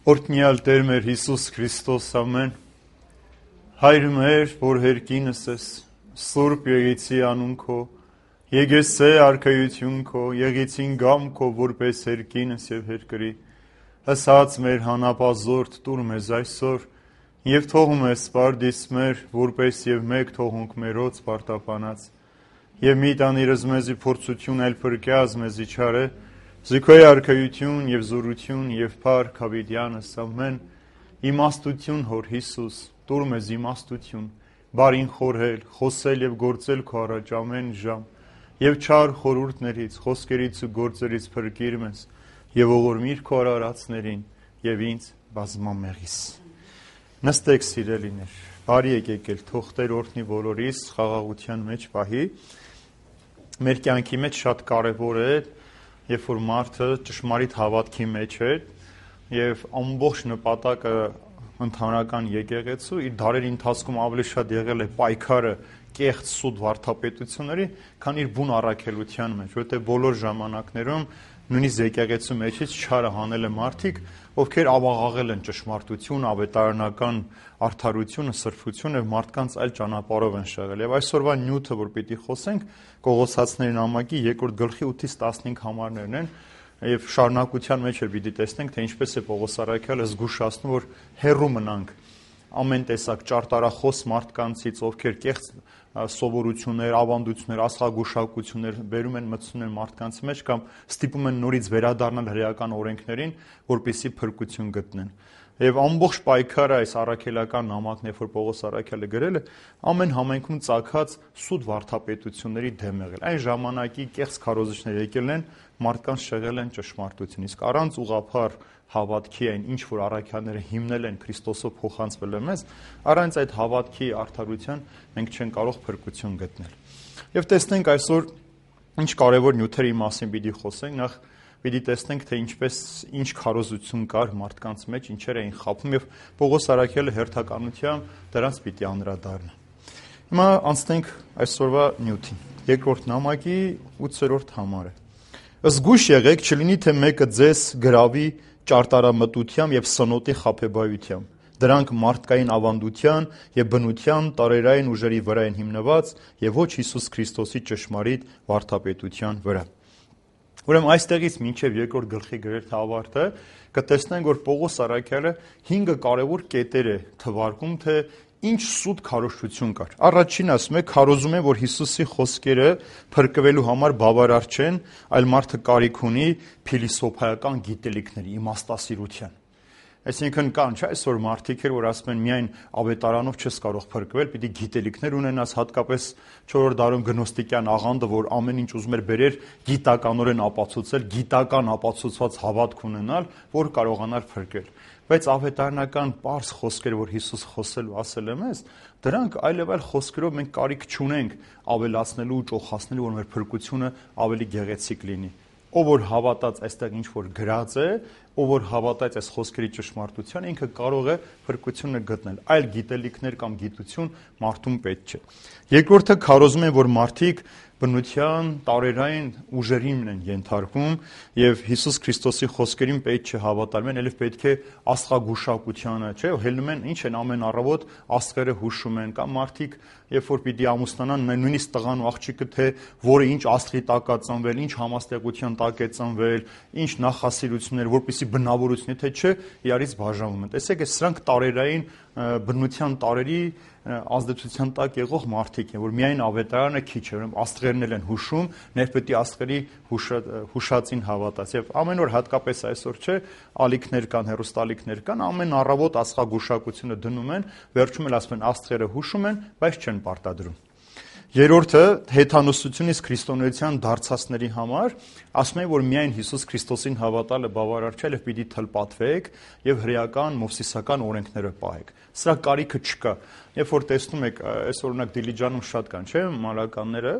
Օրհնյալ Տեր մեր Հիսուս Քրիստոս, ամեն։ Հայր մեր, որ հերկինս ես, Սուրբ եղեցի անուն քո, եկեսե արքայություն քո, եղեցին գամ քո, որպես հերկինս եւ հերկրի։ Հսած մեր հանապազորդ տուր մեզ այսօր, եւ թողում ես սպարդիս մեր, որպես եւ մեկ թողունք մերոց պարտապանած։ Եվ մի տանիրս մեզի փորձություն այլ փրկյազ մեզի չարե, Զիքոյ արքայություն եւ զորություն եւ փառք հավիտյանս ամեն իմաստություն հոր Հիսուս տուր մեզ իմաստություն բարին խորհել խոսել եւ գործել քո առաջ ամեն ժամ եւ չար խորհուրդներից խոսքերից ու գործերից փրկիր մեզ եւ ողորմիր քո արարածներին եւ ինձ բազմամեղիս նստեք սիրելիներ բարի եկել թող Տեր օրհնի բոլորիս խաղաղության մեջ պահի մեր կյանքի մեջ շատ կարեւոր է Երբ որ մարդը ճշմարիտ հավատքի մեջ է եւ ամբողջ նպատակը ընդհանրական եկեղեցու իր դարերի ընթացքում ավելի շատ եղել է պայքարը կեղծ սուտ վարդապետությունների, քան իր բուն առաքելության մեջ, որովհետեւ բոլոր ժամանակներում նույնիսկ եկեղեցու մեջից չարը հանել է մարդիկ, ովքեր ավաղաղել են ճշմարտություն, ավետարանական արդարությունը, սրբությունը մարդկանց այլ ճանապարհով են շեղել։ Եվ այսօրվա նյութը, որ պիտի խոսենք, Կողոսացիների նամակի 2-րդ գլխի 8-ից 15 համարներն են, եւ շարունակության մեջ էլ պիտի տեսնենք, թե ինչպես է Պողոս առաքյալը զգուշացնում, որ հեռու մնանք ամեն տեսակ ճարտարախոս մարդկանցից, ովքեր կեղծ սովորություններ, ավանդություններ, աստղագուշակություններ բերում են մտցնում են մարդկանց մեջ կամ ստիպում են նորից վերադառնալ հրեական օրենքներին, որպեսզի փրկություն գտնեն։ Եվ ամբողջ պայքարը այս առաքելական նամակն, երբ որ Պողոս առաքյալը գրել է, ամեն համայնքում ծագած սուտ վարդապետությունների դեմ եղել։ Այն ժամանակի կեղծ քարոզիչներ եկել են, մարդկանց շեղել են ճշմարտություն, իսկ առանց ուղղափառ հավատքի այն ինչ որ առաքյալները հիմնել են Քրիստոսով փոխանցվել է մեզ, առանց այդ հավատքի արդարության մենք չենք կարող փրկություն գտնել։ Եվ տեսնենք այսօր ինչ կարևոր նյութերի մասին պիտի խոսենք, նախ պիտի տեսնենք թե ինչ քարոզություն կար մարդկանց մեջ, ինչեր էին խաբում եւ Պողոս առաքյալը հերթականությամբ դրանց պիտի անդրադառնա։ Հիմա անցնենք այսօրվա նյութին։ Երկրորդ նամակի 8-րդ համարը։ Զգույշ եղեք, չլինի թե մեկը ձեզ գրավի ճարտարամտությամբ եւ սնոտի խաբեբայությամբ։ Դրանք մարդկային ավանդության եւ բնության տարերային ուժերի վրա են հիմնված եւ ոչ Հիսուս Քրիստոսի ճշմարիտ վարդապետության վրա։ Ուրեմն այստեղից մինչև երկրորդ գլխի գրեթե ավարտը կտեսնենք, որ Պողոս առաքյալը 5 կարևոր կետեր է թվարկում, թե ինչ սուտ քարոզություն կար։ Առաջին ասում է, քարոզում է, որ Հիսուսի խոսքերը փրկվելու համար բավարար չեն, այլ մարդը կարիք ունի փիլիսոփայական գիտելիքների, իմաստասիրության։ Այսինքն կան, չէ՞, այսօր մարդիկ որ ասում են միայն ավետարանով չես կարող փրկվել, պիտի գիտելիքներ ունենաս, հատկապես 4-րդ դարում գնոստիկյան աղանդը, որ ամեն ինչ ուզում էր բերեր գիտականորեն ապացուցել, գիտական ապացուցված հավատք ունենալ, որ կարողանար փրկել։ Բայց ավետարանական պարզ խոսքեր, որ Հիսուս խոսել ու ասել է մեզ, դրանք այլև այլ խոսքերով մենք կարիք չունենք ավելացնելու ու ճոխացնելու, որ մեր փրկությունը ավելի գեղեցիկ լինի։ Ով որ հավատաց այստեղ ինչ որ գրած է, ով որ հավատաց այս խոսքերի ճշմարտության, ինքը կարող է փրկությունը գտնել։ Այլ գիտելիքներ կամ գիտություն մարդուն պետք չէ։ Երկրորդը քարոզում է, որ մարդիկ բնության տարերային ուժերին են ենթարկվում եւ Հիսուս Քրիստոսի խոսքերին պետք չէ հավատալмен, այլև պետք է աստղագուշակությանը, չէ՞, հելնում են, ինչ են ամեն առավոտ աստղերը հուշում են, կամ մարդիկ երբ որ պիտի ամուսնանան, նույնիսկ տղան ու աղջիկը թե որը ինչ աստղի տակ է ծնվել, ինչ համաստեղության տակ է ծնվել, ինչ նախասիրություններ, որպեսզի բնավորություն, թե չէ, իրարից բաժանվում են։ Տեսեք, սրանք տարերային բնության տարերի ազդեցության տակ եղող մարդիկ են, որ միայն ավետարանը քիչ է, ուրեմն աստղերն են հուշում, ներպետի աստղերի հուշածին հավատաց։ Եվ ամեն օր հատկապես այսօր չէ, ալիքներ կան, հեռուստալիքներ կան, ամեն առավոտ աստղագուշակությունը դնում են, վերջում էլ ասում են աստղերը հուշում են, բայց չեն պարտադրում։ Երրորդը հեթանոսությունից քրիստոնեության դարձածների համար ասում է, որ միայն Հիսուս Քրիստոսին հավատալը բավարար չէ, այլ պիտի թլպատվեք եւ հրեական մովսիսական օրենքները պահեք։ Սրա կարիքը չկա։ Երբ որ տեսնում եք, այս օրինակ Դիլիջանում շատ կան, չէ՞, մալականները,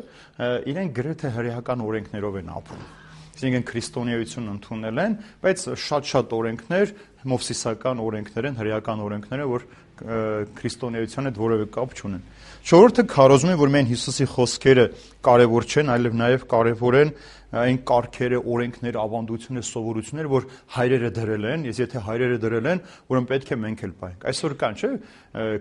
իրենք գրեթե հրեական օրենքներով են ապրում։ Այսինքն քրիստոնեություն ընդունել են, բայց շատ օրենքներ մովսիսական օրենքներ են, հրեական օրենքներ, որ քրիստոնեության հետ որևէ կապ չունեն։ Չորրորդը քարոզում է, որ միայն Հիսուսի խոսքերը կարևոր չեն, այլև նաև կարևոր են այն կարգերը, օրենքները, ավանդությունները, սովորությունները, որ հայրերը դրել են, ես եթե հայրերը դրել են, ուրեմն պետք է մենք էլ պահենք։ Այսօր կան, չէ՞,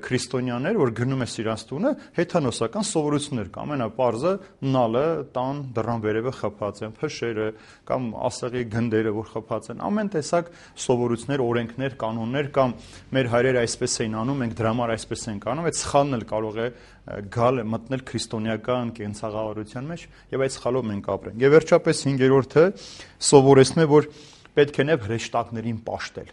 քրիստոնյաներ, որ գնում է սիրած տունը, հեթանոսական սովորություններ կա, ամենապարզը նալը, տան դռան վերևը խփած են, փշերը կամ ասեղի գնդերը, որ խփած են, ամեն տեսակ սովորություններ, օրենքներ, կանոններ կամ մեր հայրերը այսպես էին անում, մենք դրա համար այսպես ենք անում, այդ սխալն էլ կարող է գալ մտնել քրիստոնեական կենցաղավարության մեջ եւ այդ սխալով մենք ապրենք։ Եվ վերջապես 5-րդը սովորեցնում է, որ պետք է նաև հրեշտակներին պաշտել,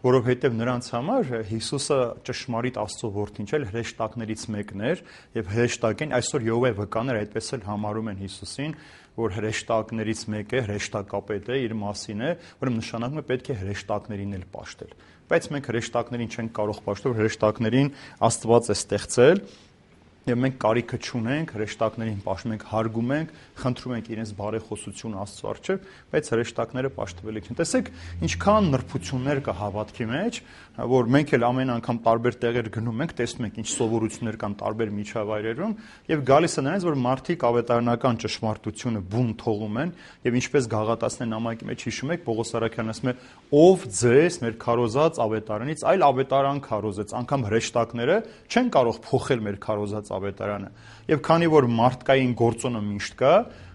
որովհետեւ նրանց համար Հիսուսը ճշմարիտ Աստծո որդին չէ, հրեշտակներից մեկն էր եւ հրեշտակին այսօր Եհովայի վկաները այդպես էլ համարում են Հիսուսին, որ հրեշտակներից մեկ է, հրեշտակապետ է, իր մասին է, ուրեմն նշանակում է պետք է հրեշտակներին էլ պաշտել։ Բայց մենք հրեշտակներին չենք կարող պաշտել, հրեշտակներին Աստված է ստեղծել եւ մենք կարիքը չունենք հրեշտակներին պաշտենք, հարգում ենք, խնդրում ենք իրենց բարեխոսություն Աստծո առջև, բայց հրեշտակները պաշտվելի չեն։ Տեսեք, ինչքան նրբություններ կա հավատքի մեջ, որ մենք էլ ամեն անգամ տարբեր տեղեր գնում ենք, տեսնում ենք ինչ սովորություններ կան տարբեր միջավայրերում եւ գալիս է նրանց, որ մարդիկ ավետարանական ճշմարտությունը բուն թողում են եւ ինչպես գաղատացնեն նամակի մեջ հիշում եք, Պողոս Արաքյանն ասում է, ով ձեզ մեր քարոզած ավետարանից այլ ավետարան քարոզեց, անգամ հրեշտակները չեն կարող փոխել մեր քարոզած ավետարանը։ Եվ քանի որ մարդկային գործոնը միշտ կա,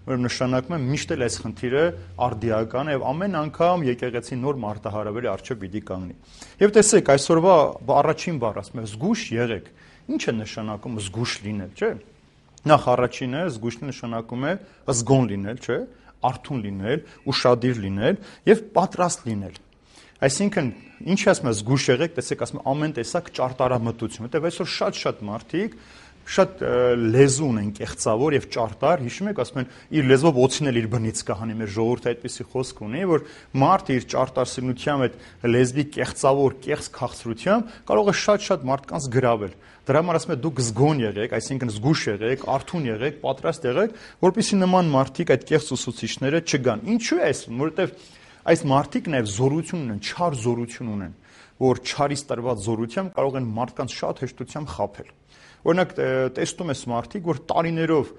որ նշանակում է միշտ էլ այս խնդիրը արդիական է եւ ամեն անգամ եկեղեցի նոր մարտահրավերի առջև պիտի կանգնի։ Եվ տեսեք, այսօրվա առաջին բառը ասում է զգուշ եղեք։ Ինչ է նշանակում զգուշ լինել, չէ՞։ Նախ առաջինը զգուշ նշանակում է զգոն լինել, չէ՞, արթուն լինել, ուշադիր լինել եւ պատրաստ լինել։ Այսինքն, ինչ ասում է զգուշ եղեք, տեսեք, ասում է ամեն տեսակ ճարտարամտություն, որտեղ այսօր շատ մարդիկ շատ լեզու ունեն կեղծավոր եւ ճարտար, հիշում եք, ասում են իր լեզվով օծին էլ իր բնից կհանի, մեր ժողովուրդը այդպիսի խոսք ունի, որ մարդը իր ճարտարսինությամբ այդ լեզվի կեղծավոր, կեղծ քաղցրությամբ կարող է շատ մարդկանց գրավել։ Դրա համար ասում է դուք զգոն եղեք, այսինքն զգուշ եղեք, արթուն եղեք, պատրաստ եղեք, որպեսզի նման մարդիկ այդ կեղծ ուսուցիչները չգան։ Ինչու է այսպես, որովհետեւ այս մարդիկ նաև զորություն ունեն, չար զորություն ունեն, որ չարից տրված զորությամբ կարող են մարդկանց շատ հեշտությամբ խաբել։ Օրինակ տեսնում ես մարդիկ, որ տարիներով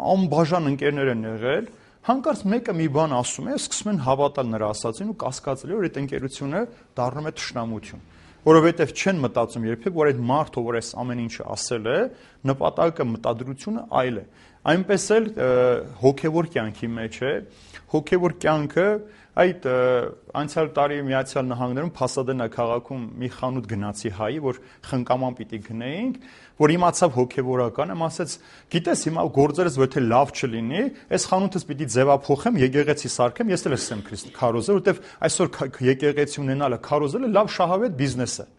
անբաժան ընկերներ են եղել, հանկարծ մեկը մի բան ասում է, սկսում են հավատալ նրա ասածին ու կասկածել, որ այդ ընկերությունը դառնում է թշնամություն, որովհետև չեն մտածում երբեք, որ այդ մարդը, որ այս ամեն ինչը ասել է, նպատակը, մտադրությունը այլ է։ Այնպես էլ հոգևոր կյանքի մեջ է, հոգևոր կյանքը այդ անցյալ տարի Միացյալ Նահանգներում Փասադենա քաղաքում մի խանութ գնացի հայի, որ խնկաման պիտի գնեինք, որ իմացավ հոգևորականը, ասաց, գիտես, հիմա գործերս եթե լավ չլինի, այս խանութս պիտի ձևափոխեմ, եկեղեցի սարքեմ, ես էլ եմ քարոզել, որովհետև այսօր եկեղեցի ունենալը, քարոզելը լավ շահավետ բիզնես է։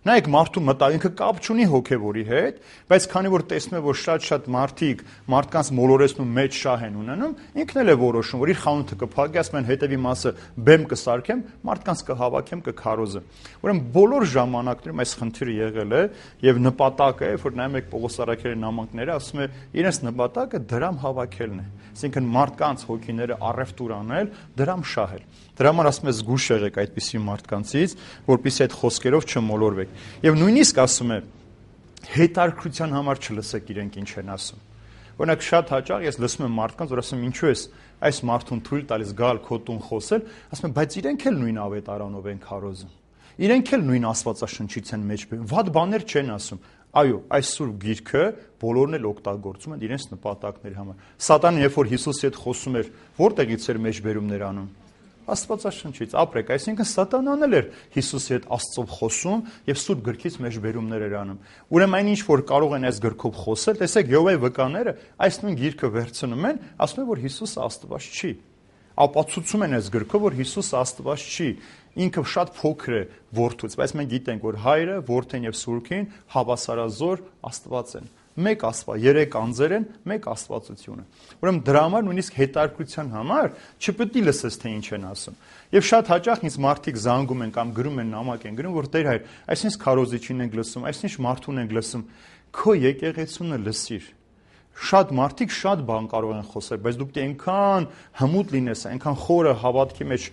Նայեք մարդու մտածելքը կապ չունի հոգևորի հետ, բայց քանի որ տեսնում է, որ շատ մարդիկ մարդկանց մոլորեցնում մեջ շահ են ունենում, ինքն էլ է որոշում, որ իր խանութը կփակի, ասում են հետևի մասը բեմ կսարքեմ, մարդկանց կհավաքեմ, կքարոզեմ։ Ուրեմն բոլոր ժամանակներում այս խնդիրը եղել է եւ նպատակը է, որ նայում եք Պողոս Արաքյալի նամակները, ասում է, իրենց նպատակը դրամ հավաքելն է։ Այսինքն մարդկանց հոգիները առևտուր անել, դրամ շահել։ Դրա համար ասում է զգուշ եղեք այդպիսի մարդկանցից, որպեսզի այդ խոսքերով չմոլորվեք։ Եվ նույնիսկ ասում է հետարքրության համար չլսեք իրենք ինչ են ասում։ Օրինակ շատ հաճախ ես լսում եմ մարդկանց, որ ասում եմ ինչու ես այս մարդուն թույլ տալիս գալ քո տուն խոսել, ասում եմ բայց իրենք էլ նույն ավետարանով են քարոզում։ Իրենք էլ նույն Աստվածաշնչից են մեջ բերում, վատ բաներ չեն ասում։ Այո, այս սուրբ գիրքը բոլորն էլ օգտագործում են իրենց նպատակների համար։ Սատանան երբ որ Հիսուսի հետ խոսում էր, որտեղից էր մեջբերումներ անում։ Աստվածաշնչից ապրեք, այսինքն Սատանան էլ էր Հիսուսի հետ Աստծով խոսում եւ սուրբ գրքից մեջբերումներ էր անում։ Ուրեմն այն ինչ որ կարող են այս գրքով խոսել, տեսեք Եհովայի վկաները այս նույն գիրքը վերցնում են, ասում են որ Հիսուսը Աստված չի։ Ապացուցում են այս գրքով, որ Հիսուսը Աստված չի։ Ինքը շատ փոքր է որդուց, բայց մենք գիտենք, որ Հայրը, Որդին եւ Սուրբին հավասարազոր Աստված են։ Մեկ Աստված, երեք անձեր են, մեկ Աստվածությունը։ Ուրեմն դրա համար նույնիսկ հետարկության համար չպետք է լսես թե ինչ են ասում։ Եվ շատ հաճախ ինձ մարդիկ զանգում են կամ գրում են նամակ են գրում, որ Տեր հայր, այսինչ քարոզիչին ենք լսում, այսինչ մարդուն ենք լսում, քո եկեղեցունը լսիր։ Շատ մարդիկ շատ բան կարող են խոսել, բայց դուք այնքան հմուտ լինես, այնքան խորը հավատքի մեջ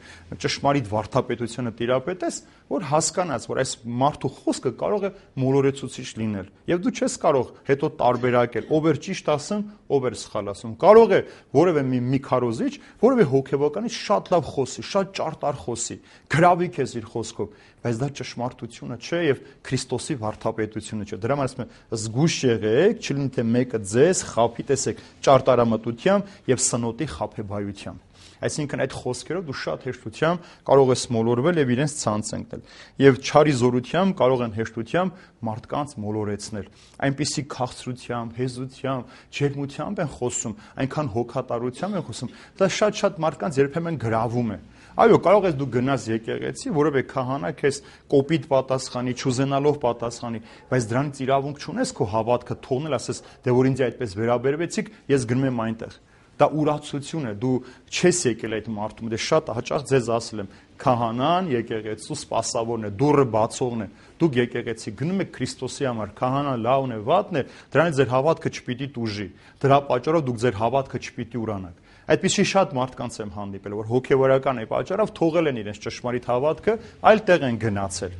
ճշմարիտ վարդապետությունը տիրապետես, որ հասկանաց, որ այս մարդու խոսքը կարող է մոլորեցուցիչ լինել։ Եվ դու չես կարող հետո տարբերակել, ով էր ճիշտ ասում, ով էր սխալ ասում։ Կարող է որևէ մի քարոզիչ, որևէ հոգեբանից շատ լավ խոսի, շատ ճարտար խոսի, գրավի քեզ իր խոսքով, բայց դա ճշմարտությունը չէ եւ Քրիստոսի վարդապետությունը չէ։ Դրա համար ասում եմ, զգույշ եղեք, չլինի թե մեկը ձեզ խափի, տեսեք, ճարտարամտությամբ եւ սնոտի խափեբայությամբ։ Այսինքն այդ խոսքերով դու շատ հեշտությամբ կարող ես մոլորվել եւ իրենց ցանց ընկնել։ Եվ չարի զորությամբ կարող են հեշտությամբ մարդկանց մոլորեցնել։ Այնպիսի քաղցրությամբ, հեզությամբ, ջերմությամբ են խոսում, այնքան հոգատարությամբ են խոսում։ Դա շատ մարդկանց երբեմն գրավում է։ Այո, կարող ես դու գնաս եկեղեցի, որովհետեւ քահանա քեզ կոպիտ պատասխանի, չուզենալով պատասխանի, բայց դրանից իրավունք չունես քո հավատքը թողնել, ասես, դե որ ինձ այդպես վերաբերվեցիք, ես գնում եմ այնտեղ։ Դա ուրացություն է, դու չես եկել այդ մարդու, դե շատ հաճախ ձեզ ասել եմ, քահանան եկեղեցու սպասավորն է, դուռը բացողն է, դուք եկեղեցի գնում եք Քրիստոսի համար, քահանան լավն է, վատն է, դրանից ձեր հավատքը չպիտի տուժի, դրա պատճառով դուք ձեր հավատքը չպիտի ուրանաք։ Այդպիսի շատ մարդկանց եմ հանդիպել, որ հոգևորական է պատճառով թողել են իրենց ճշմարիտ հավատքը, այլ տեղ են գնացել։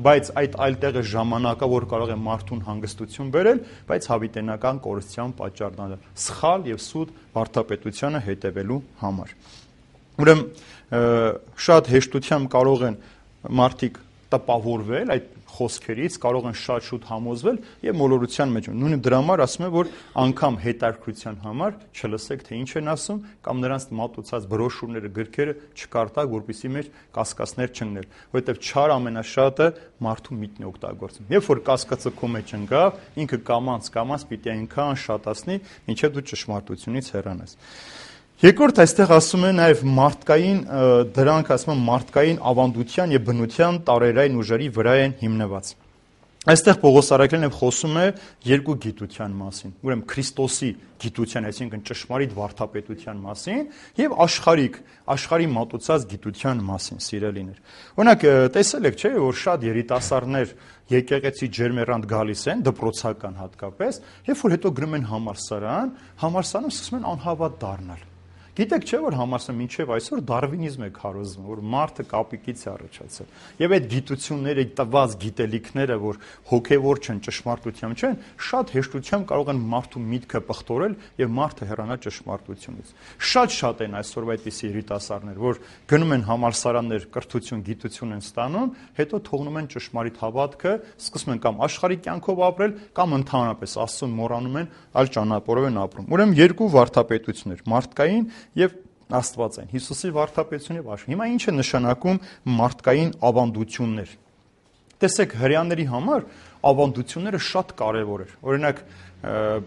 Բայց այդ այլտեղը ժամանակավոր կարող է մարդուն հանգստություն բերել, բայց հավիտենական կորստյան պատճառ դառնալ սխալ եւ սուտ վարդապետությանը հետևելու համար։ Ուրեմն շատ հեշտությամբ կարող են մարդիկ տպավորվել այդ խոսքերից, կարող են շատ շուտ համոզվել եւ մոլորության մեջ։ Նույնիսկ դրա համար ասում եմ, որ անգամ հետաքրքրության համար չլսեք, թե ինչ են ասում, կամ նրանց մատուցած բրոշուրները, գրքերը չկարտակ, որպեսզի մեր կասկածներ չընկներ, որովհետեւ չար ամենաշատը մարդու միտն է օգտագործում։ Երբ որ կասկածը քո մեջ ընկավ, ինքը կամած պիտի այնքան շատացնի, ինչեւ դու ճշմարտությունից հեռանաս։ Երկրորդ այստեղ ասում է նաև մարդկային, դրանք ասում են մարդկային ավանդության եւ բնության տարերային ուժերի վրա են հիմնված։ Այստեղ Պողոս Արաքելյանը խոսում է երկու գիտության մասին, ուրեմն Քրիստոսի գիտության, այսինքն ճշմարիտ վարդապետության մասին եւ աշխարհի մատուցած գիտության մասին, սիրելիներ։ Օրինակ, տեսել եք, չէ՞, որ շատ երիտասարդներ եկեղեցի ջերմեռանդ գալիս են, դպրոցական հատկապես, երբ որ հետո գնում են համալսարանում սկսում են անհավատ դառնալ։ Գիտեք չէ, որ համալսարանը մինչև այսօր դարվինիզմ է քարոզվում, որ մարդը կապիկից է առաջացել։ Եվ այդ գիտությունները, տված գիտելիքները, որ հոգևոր չեն, ճշմարտությամբ չեն, շատ հեշտությամբ կարող են մարդու միտքը պղտորել եւ մարդը հեռանա ճշմարտությունից։ Շատ են այսօր այդպիսի երիտասարդներ, որ գնում են համալսարաններ, կրթություն, գիտություն են ստանում, հետո թողնում են ճշմարիտ հավատքը, սկսում են կամ աշխարհի կյանքով ապրել, կամ ընդհանրապես Աստծուն մոռանում են, այլ ճանապարհով են ապրում։ Ուրեմն երկու վարդապետություններ՝ մարդկային եւ Աստվածային, Հիսուսի վարդապետությունը եւ աշխարհ։ Հիմա ինչ է նշանակում մարդկային ավանդություններ։ Տեսեք, հрьяաների համար ավանդությունները շատ կարեւոր էր։ Օրինակ,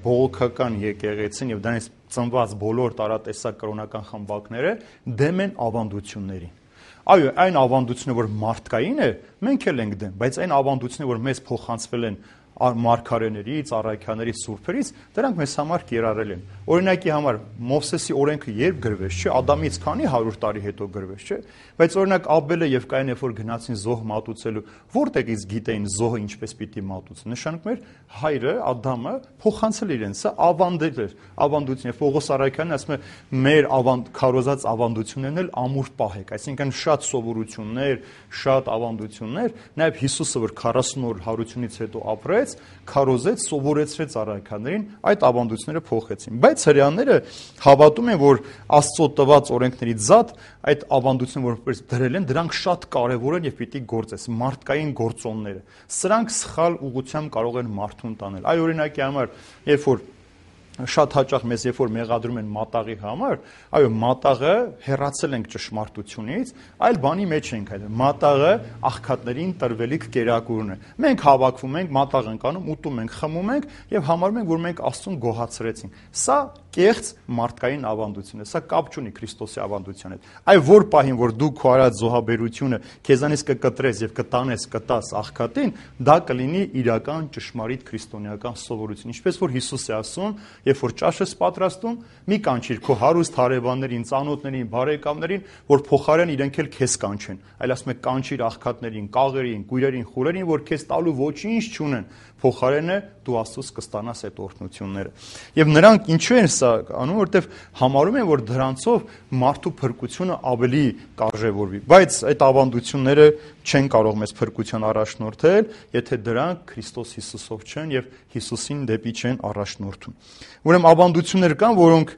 բողոքական եկեղեցին եւ դրանից ծնված բոլոր տարատեսակ կրոնական խմբակները դեմ են ավանդություններին։ Այո, այն ավանդությունը, որ մարդկային է, մենք էլ ենք դեմ, բայց այն ավանդությունը, որ մեզ փոխանցվել են մարգարեներից, առաքյալներից, սուրբերից, դրանք մեզ համար կիրառել են։ Օրինակի համար Մովսեսի օրենքը երբ գրվեց, չէ, Ադամից քանի 100 տարի հետո գրվեց, չէ, բայց օրինակ Աբելը եւ Կայինը երբ որ գնացին զոհ մատուցելու, որտեղից գիտեին զոհը ինչպես պիտի մատուցի։ Նշանակում էր հայրը Ադամը փոխանցել իրեն, սա ավանդել էր, ավանդություն է։ Պողոս Արաքյանն ասում է, մեր քարոզած ավանդություններն էլ ամուր պահեք, այսինքն շատ սովորություններ, շատ ավանդություններ, նաեւ Հիսուսը որ 40 օր հարությունից հետո ապրեց, քարոզեց, սովորեցրեց առաքյալներին, այդ ավանդությունները փոխեցին։ Բայց հрьяաները հավատում են, որ Աստծո տված օրենքների զատ այդ ավանդությունները որպես դրել են, դրանք շատ կարևոր են եւ պիտի գործես, մարդկային գործոնները։ Սրանք սխալ ուղղությամբ կարող են մարդուն տանել։ Այ օրինակի համար, երբ որ շատ հաճախ մեզ երբ որ մեղադրում են մատաղի համար, այո, մատաղը հեռացել ենք ճշմարտությունից, այլ բանի մեջ ենք այդ։ Մատաղը աղքատներին տրվելիք կերակուրն է։ Մենք հավաքվում ենք, մատաղ ենք անում, ուտում ենք, խմում ենք եւ համարում ենք, որ մենք Աստծուն գոհացրեցինք։ Սա կեղծ մարդկային ավանդություն է, սա կապ չունի Քրիստոսի ավանդության հետ։ Այ որ պահին, որ դու քո արած զոհաբերությունը քեզանից կկտրես եւ կտաս աղքատին, դա կլինի իրական ճշմարիտ քրիստոնեական սովորություն։ Ինչպես որ Հիսուս է ասում, երբ որ ճաշ ես պատրաստում, մի կանչիր քո հարուստ հարևաններին, ծանոթներին, բարեկամներին, որ փոխարեն իրենք էլ քեզ կանչեն։ Այլ ասում է կանչիր աղքատներին, կաղերին, կույրերին, խուրերին, որ քեզ տալու ոչինչ չունեն։ փոխարենը դու Աստծուց կստանաս այդ օրհնությունները։ Եվ նրանք ինչու են սա անում, որովհետև համարում են, որ դրանցով մարդու փրկությունը ավելի կարժևորվի, բայց այդ ավանդությունները չեն կարող մեզ փրկության առաջնորդել, եթե դրանք Քրիստոս Հիսուսով չեն եւ Հիսուսին դեպի չեն առաջնորդում։ Ուրեմն ավանդություններ կան, որոնք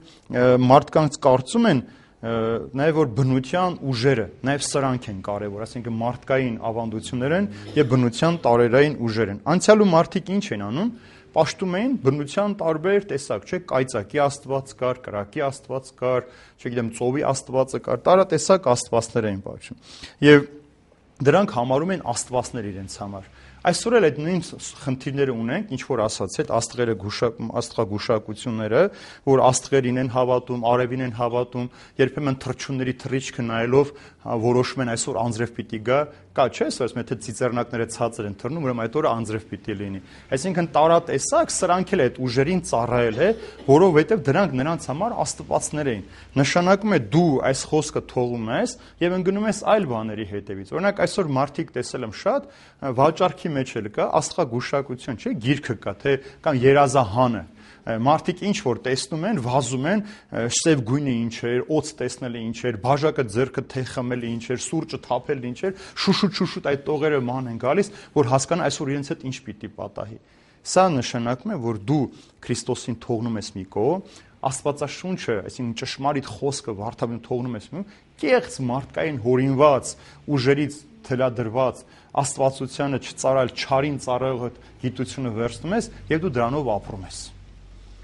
մարդկանց կարծում են նաև որ բնության ուժերը, նաև սրանք են կարևոր, այսինքն մարդկային ավանդություններ են եւ բնության տարերային ուժեր են։ Անցյալում մարդիկ ինչ են անում, պաշտում էին բնության տարբեր տեսակ, չէ՞, կայծակի աստված կար, կրակի աստված կար, չգիտեմ, ծովի աստվածը կար, տարատեսակ աստվածներ էին պաշտում։ Եվ դրանք համարում են աստվածներ իրենց համար։ Այսօր էլ այդ նույն խնդիրները ունենք, ինչ որ ասացի, այդ աստղագուշակությունները, որ աստղերին են հավատում, արևին են հավատում, երբեմն թռչունների թռիչքը նայելով որոշում են այսօր անձրև պիտի գա, կա չէ՞, ասում եթե ծիծեռնակները ցածր են թռնում, ուրեմն այդ օրը անձրև պիտի լինի։ Այսինքն տարատեսակ սրանք էլ այդ ուժերին ծառայել է, որովհետև դրանք նրանց համար աստվածներ էին։ Նշանակում է դու այս խոսքը թողում ես եւ ընկնում ես այլ բաների հետևից։ Օրինակ այսօր մարդիկ տեսել եմ շատ վաճառքի մեջ էլ կա աստղագուշակություն, չէ՞, գիրքը կա, թե կամ երազահանը։ Մարդիկ ինչ որ տեսնում են, վազում են, սև գույնը ինչ էր, օծ տեսնելը ինչ էր, բաժակը ձեռքը թե խմելը ինչ էր, սուրճը թափելը ինչ էր, շուշուտ այդ տողերը ման են գալիս, որ հասկանան այսօր իրենց հետ ինչ պիտի պատահի։ Սա նշանակում է, որ դու Քրիստոսին թողնում ես մի կողմ, Աստվածաշունչը, այսինքն ճշմարիտ խոսքը վարդապետին թողնում ես մի կեղծ մարդկային հորինված, ուժերից թելադրված աստվածությանը չծարալ, չարին ծառայող գիտությունը վերցնում ես եւ դու դրանով ապրում ես։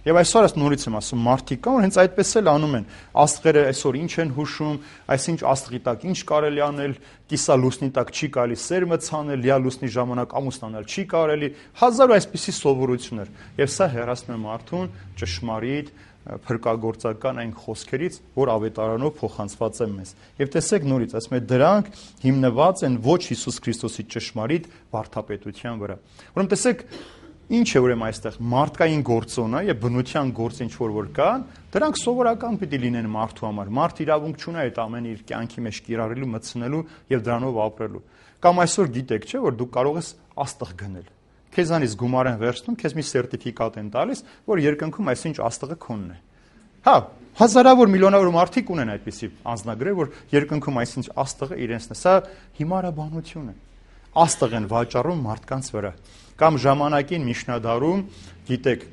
Եվ այսօր ես նորից եմ ասում, մարդիկ կան, որ հենց այդպես էլ անում են։ Աստղերը այսօր ինչ են հուշում, այսինչ աստղի տակ ինչ կարելի անել, կիսա լուսնի տակ չի կարելի սերմը ցանել, լիա լուսնի ժամանակ ամուսնանալ չի կարելի, հազար այսպիսի սովորություններ։ Եվ սա հեռացնում է մարդուն ճշմարիտ փրկagorցական այն խոսքերից, որ ավետարանով փոխանցված են մեզ։ Եվ տեսեք նորից, ասում է դրանք հիմնված են ոչ Հիսուս Քրիստոսի ճշմարիտ վարդապետության վրա։ Ուրեմն տեսեք ինչ է ուրեմն այստեղ մարդկային գործոնը եւ բնության գործ ինչ որ կան, դրանք սովորական պիտի լինեն մարդու համար։ Մարդ իրավունք չունի այդ ամենը իր կյանքի մեջ կիրառելու, մտցնելու եւ դրանով ապրելու։ Կամ այսօր գիտեք, չէ, որ դու կարող ես աստղ գնել։ Քեզանից գումար են վերցնում, քեզ մի սերտիֆիկատ են տալիս, որ երկնքում այսինչ աստղը քոնն է։ Հա, հազարավոր միլիոնավոր մարդիկ ունեն այդպիսի անձնագրեր, որ երկնքում այսինչ աստղը իրենցն է։ Սա հիմարաբանություն է։ Աստղ են վաճառում մարդկանց վրա։ Կամ ժամանակին Միշնադարում, գիտեք,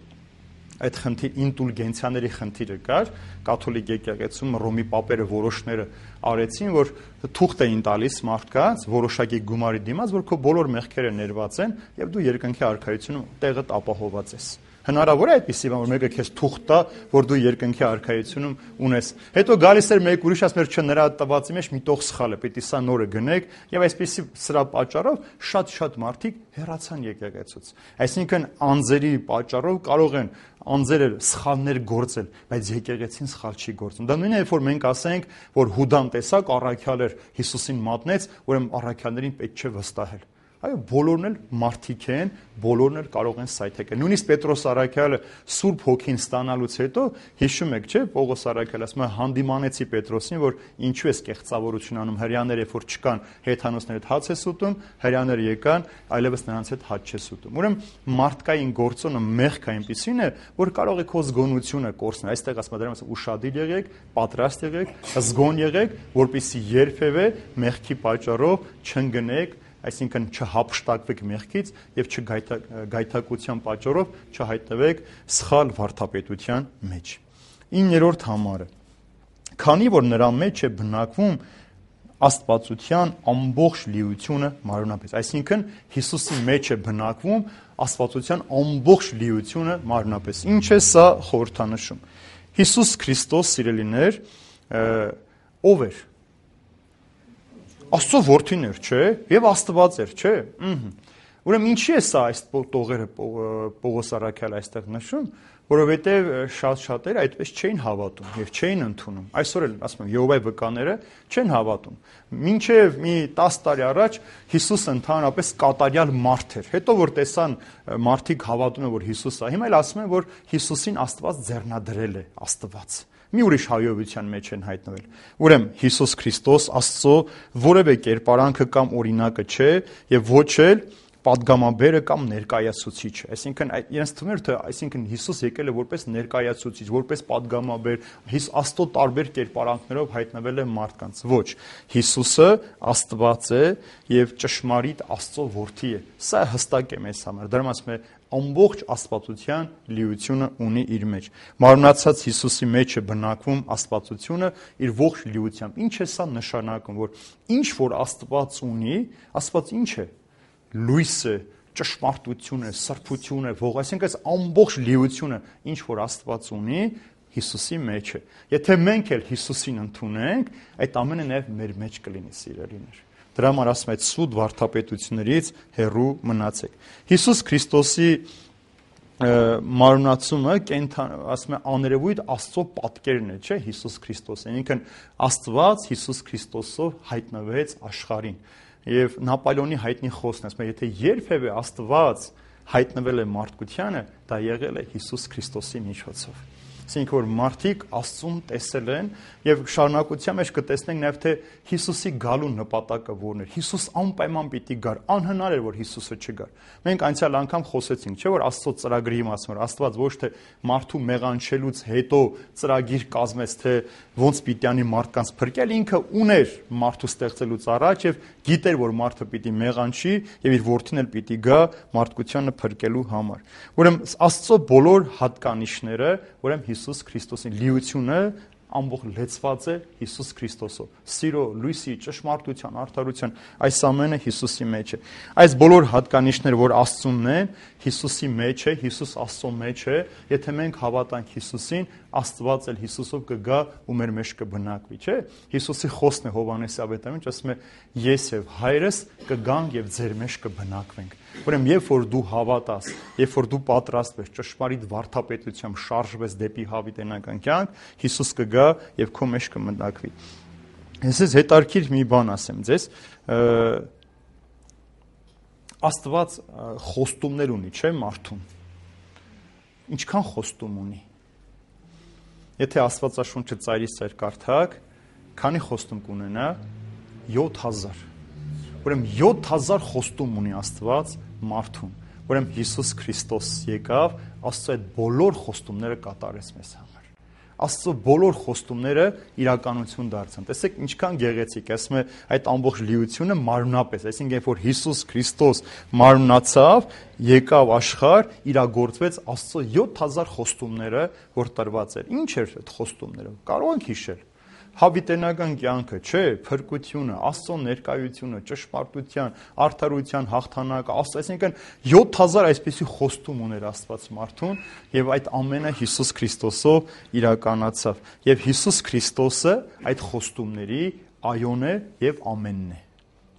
այդ ինտուլգենցիաների խնդիրը կար, կաթոլիկ եկեղեցում Ռոմի պապերը որոշները արեցին, որ թուղթ էին տալիս մարդկանց որոշակի գումարի դիմաց, որ քո բոլոր մեղքերը ներված են եւ դու երկնքի արքայությունում տեղդ ապահոված ես։ Հնարավոր է այդպիսի բան, որ մեկը քեզ թուղթ տա, որ դու երկնքի արքայությունում ունես։ Հետո գալիս էր մեկ ուրիշ, ասում էր, չէ, նրա տվածի մեջ մի տող սխալ է, պիտի սա նորը գնեք, եւ այսպիսի սրա պատճառով շատ մարդիկ հեռացան եկեղեցուց։ Այսինքն անձերի պատճառով կարող են անձերը սխալներ գործել, բայց եկեղեցին սխալ չի գործում։ Դա նույնն է, երբ որ մենք ասենք, որ Հուդան տեսակ առաքյալ էր Հիսուսին մատնեց, ուրեմն առաքյալներին պետք չէ վստահել։ Այո, բոլորն էլ մարդիկ են, բոլորն էլ կարող են սայթեկել։ Նույնիսկ Պետրոս առաքյալը Սուրբ Հոգին ստանալուց հետո հիշում եք, չէ՞, Պողոս առաքյալը ասում է հանդիմանեցի Պետրոսին, որ ինչու ես կեղծավորություն անում, հрьяաները երբ որ չկան, հեթանոսները հաց ես ուտում, հрьяաները եկան, այլևս նրանց հետ հաց չես ուտում։ Ուրեմն մարդկային գործոնը մեղք այնպիսին է, որ կարող է քո զգոնությունը կորցնել։ Այստեղ ասում է դրանց ուշադիր եղեք, պատրաստ եղեք, զգոն եղեք, որպեսզի երբևէ մեղքի պատճառով չընկնեք, այսինքն չհափշտակվեք մեղքից եւ չգայթակության պատճառով չհայտնվեք սխալ վարդապետության մեջ։ 9-րդ համարը։ Քանի որ նրա մեջ է բնակվում աստվածության ամբողջ լիությունը մարմնապես, այսինքն Հիսուսի մեջ է բնակվում աստվածության ամբողջ լիությունը մարմնապես։ Ինչ է սա խորհրդանշում։ Հիսուս Քրիստոս, սիրելիներ, ով էր։ Աստծո որդին էր, չէ՞, եւ Աստված էր, չէ՞։ Ուրեմն ինչի է սա այս տողերը Պողոս առաքյալը այստեղ նշում, որովհետեւ շատերը այդպես չէին հավատում եւ չէին ընդունում։ Այսօր էլ ասում եմ Եհովայի վկաները չեն հավատում։ Մինչեւ մի 10 տարի առաջ Հիսուսը ընդհանրապես կատարյալ մարդ էր։ Հետո որ տեսան մարդիկ հավատում են, որ Հիսուսը, հիմա էլ ասում են, որ Հիսուսին Աստված ձեռնադրել է, Աստված։ Մի ուրիշ հայովության մեջ են հայտնվել։ Ուրեմն Հիսուս Քրիստոս Աստծո որևէ կերպարանքը կամ օրինակը չէ եւ ոչ էլ պատգամաբերը կամ ներկայացուցիչը, այսինքն իրենց թվում էր թե այսինքն Հիսուս եկել է որպես ներկայացուցիչ, որպես պատգամաբեր, Աստծո տարբեր կերպարանքներով հայտնվել է մարդկանց։ Ոչ, Հիսուսը Աստված է եւ ճշմարիտ Աստծո որդի է։ Սա հստակ է մեզ համար։ Դրա մասում է ամբողջ աստվածության լիությունը ունի իր մեջ։ Մարմնացած Հիսուսի մեջ է բնակվում աստվածությունը իր ողջ լիությամբ։ Ինչ է սա նշանակում, որ ինչ որ Աստված ունի, Աստված ինչ է։ Լույս է, ճշմարտություն է, սրբություն է, ողջ, այսինքն այս ամբողջ լիությունը, ինչ որ Աստված ունի, Հիսուսի մեջ է։ Եթե մենք էլ Հիսուսին ընդունենք, այդ ամենը նաև մեր մեջ կլինի, սիրելիներ։ Դրա համար ասում այդ սուտ վարդապետություններից հեռու մնացեք։ Հիսուս Քրիստոսի մարմնացումը ասում է աներևույթ Աստծո պատկերն է, չէ՞, Հիսուս Քրիստոսը։ Ինքն Աստված Հիսուս Քրիստոսով հայտնվեց աշխարհին։ Եվ Նապոլեոնի հայտնի խոսքն է, ասում է, եթե երբևէ Աստված հայտնվել է մարդկությանը, դա եղել է Հիսուս Քրիստոսի միջոցով։ Այսինքն որ մարդիկ Աստծուն տեսել են եւ շարունակության մեջ կտեսնենք նաեւ թե Հիսուսի գալու նպատակը որն էր։ Հիսուս անպայման պիտի գար, անհնար էր որ Հիսուսը չգար։ Մենք անցյալ անգամ խոսեցինք, չէ՞ որ Աստծո ծրագրի մասին, որ Աստված ոչ թե մարդու մեղանչելուց հետո ծրագիր կազմեց, թե ոնց պիտի անի մարդկանց փրկել, ինքը ուներ մարդու ստեղծելուց առաջ եւ գիտեր որ մարդը պիտի մեղանչի եւ իր որդին էլ պիտի գա մարդկությանը փրկելու համար։ Ուրեմն Աստծո բոլոր հատկանիշները, ուրեմն Հիսուս Քրիստոսի լիությունը ամբողջ լեցված է Հիսուս Քրիստոսով։ Սիրո, լույսի, ճշմարտության, արդարության, այս ամենը Հիսուսի մեջ է։ Այս բոլոր հատկանիշները, որ Աստծունն են, Հիսուսի մեջ է, Հիսուս Աստծո մեջ է, եթե մենք հավատանք Հիսուսին, Աստված էլ Հիսուսով կգա ու մեր մեջ կբնակվի, չէ՞։ Հիսուսի խոսքն է Հովհաննեսի ավետարանում, ասում է. ես եւ Հայրս կգանք եւ ձեր մեջ կբնակվենք։ Ուրեմն երբ որ դու հավատաս, երբ որ դու պատրաստվես ճշմարիտ վարդապետությամբ շարժվես դեպի հավիտենական կյանք, Հիսուս կգա եւ քո մեջ կմնակվի։ Ես հետարքիր մի բան ասեմ ձեզ, Աստված խոստումներ ունի, չէ՞ մարդուն։ Ինչքան խոստում ունի։ Եթե Աստվածաշունչը ծայրից ծայր կարդաք, քանի խոստում կունենա 7000։ Ուրեմն 7000 խոստում ունի Աստված մարդուն։ Ուրեմն Հիսուս Քրիստոս եկավ, Աստծո այդ բոլոր խոստումները կատարեց մեզ համար։ Աստծո բոլոր խոստումները իրականություն դարձան։ Տեսեք ինչքան գեղեցիկ, ասում է այդ ամբողջ լիությունը մարմնապես, այսինքն երբ որ Հիսուս Քրիստոս մարմնացավ, եկավ աշխարհ, իրագործվեց Աստծո 7000 խոստումները, որ տրված էր։ Ինչ էր այդ խոստումները։ Կարող ենք հիշել։ Հավիտենական կյանքը, չէ, փրկությունը, Աստծո ներկայությունը, ճշմարտության, արդարության հաղթանակը, այսինքն 7000 այսպիսի խոստում ուներ Աստված մարդուն, եւ այդ ամենը Հիսուս Քրիստոսով իրականացավ։ Եվ Հիսուս Քրիստոսը այդ խոստումների այոն է եւ ամենն է։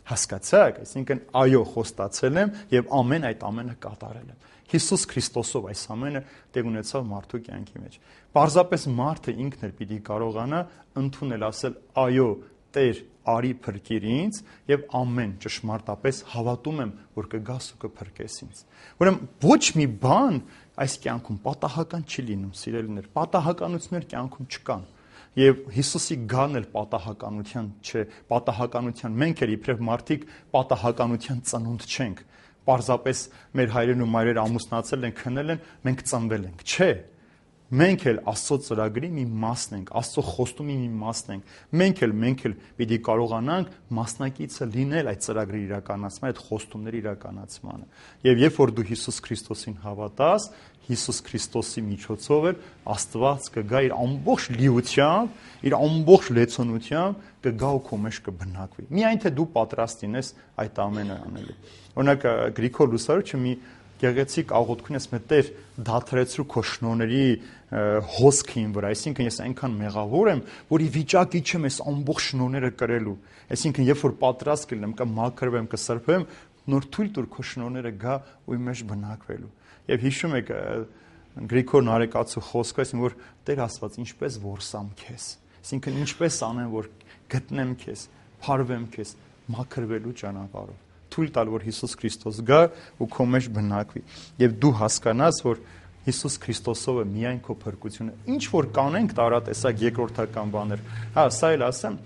Հասկացաք, այսինքն այո խոստացել եմ եւ ամեն այդ ամենը կատարել եմ։ Հիսուս Քրիստոսով այս ամենը տեղ ունեցավ մարդու կյանքի մեջ։ Պարզապես մարդը ինքն էլ պիտի կարողանա ընդունել, ասել այո, Տեր, արի փրկիր ինձ եւ ամեն ճշմարտապես հավատում եմ, որ կգաս ու կփրկես ինձ։ Ուրեմն ոչ մի բան այս կյանքում պատահական չի լինում, սիրելիներ, պատահականություններ կյանքում չկան։ Եվ Հիսուսի գանն էլ պատահականության չէ, պատահականության մենք էլ իբրև մարդիկ պատահականության ծնունդ չենք։ Պարզապես մեր հայրերն ու մայրերը ամուսնացել են, քնել են, մենք ծնվել ենք, չէ։ Մենք էլ Աստծո ծրագրի մի մասն ենք, Աստծո խոստումի մի մասն ենք։ Մենք էլ պիտի կարողանանք մասնակիցը լինել այդ ծրագրի իրականացման, այդ խոստումների իրականացմանը։ Եվ երբ որ դու Հիսուս Քրիստոսին հավատաս, Հիսուս Քրիստոսի միջոցով էլ Աստված կգա իր ամբողջ լիությամբ, իր ամբողջ լեցոնությամբ կգա ու քո մեջ կբնակվի։ Միայն թե դու պատրաստ լինես այդ ամենը անելու։ Օրինակ Գրիգոր Լուսարուչը մի գեղեցիկ աղոթքուն ես մտեր դաթրեցրու քո շնորհների հոսքին վրա, այսինքն ես այնքան մեղավոր եմ, որ ի վիճակի չեմ այս ամբողջ շնորհները կրելու։ Այսինքն երբ որ պատրաստ կլինեմ, կմաքրվեմ, կսրբեմ, նոր թույլ տուր քո շնորհները գա ու իմ մեջ բնակվելու։ Եվ հիշում եք Գրիգոր Նարեկացու խոսքը, այսինքն որ Տեր Աստված ինչպես որսամ քեզ, այսինքն ինչպես անեմ, որ գտնեմ քեզ, փարվեմ քեզ, մաքրվելու ճանապարհով։ Թույլ տալ, որ Հիսուս Քրիստոս գա ու քո մեջ բնակվի։ Եվ դու հասկանաս, որ Հիսուս Քրիստոսով է միայն քո փրկությունը։ Ինչ որ կանենք տարատեսակ երկրորդական բաներ։ Հա, սա էլ ասեմ,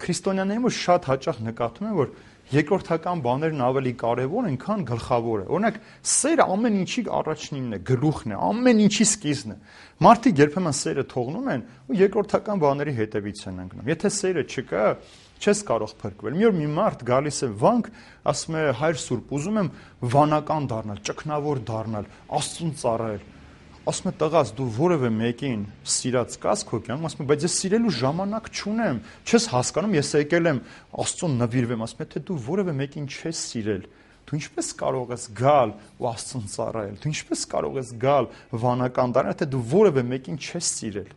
քրիստոնյաների մոտ շատ հաճախ նկատում եմ, որ երկրորդական բաներն ավելի կարևոր են, քան գլխավորը։ Օրինակ, սերը ամեն ինչի առաջինն է, գլուխն է, ամեն ինչի սկիզբն է։ Մարդիկ երբեմն սերը թողնում են ու երկրորդական բաների հետևից են ընկնում։ Եթե սերը չկա, չես կարող փրկվել։ Մի օր մի մարդ գալիս է վանք, ասում է՝ Հայր Սուրբ, ուզում եմ վանական դառնալ, ճգնավոր դառնալ, Աստծուն ծառայել։ Ասում է՝ տղաս, դու որևէ մեկին սիրած կաս քո կյանքում, ասում է՝ բայց ես սիրելու ժամանակ չունեմ, չես հասկանում, ես եկել եմ Աստծուն նվիրվեմ, ասում է, թե դու որևէ մեկին չես սիրել, դու ինչպես կարող ես գալ ու Աստծուն ծառայել, դու ինչպես կարող ես գալ վանական դառնալ, թե դու որևէ մեկին չես սիրել։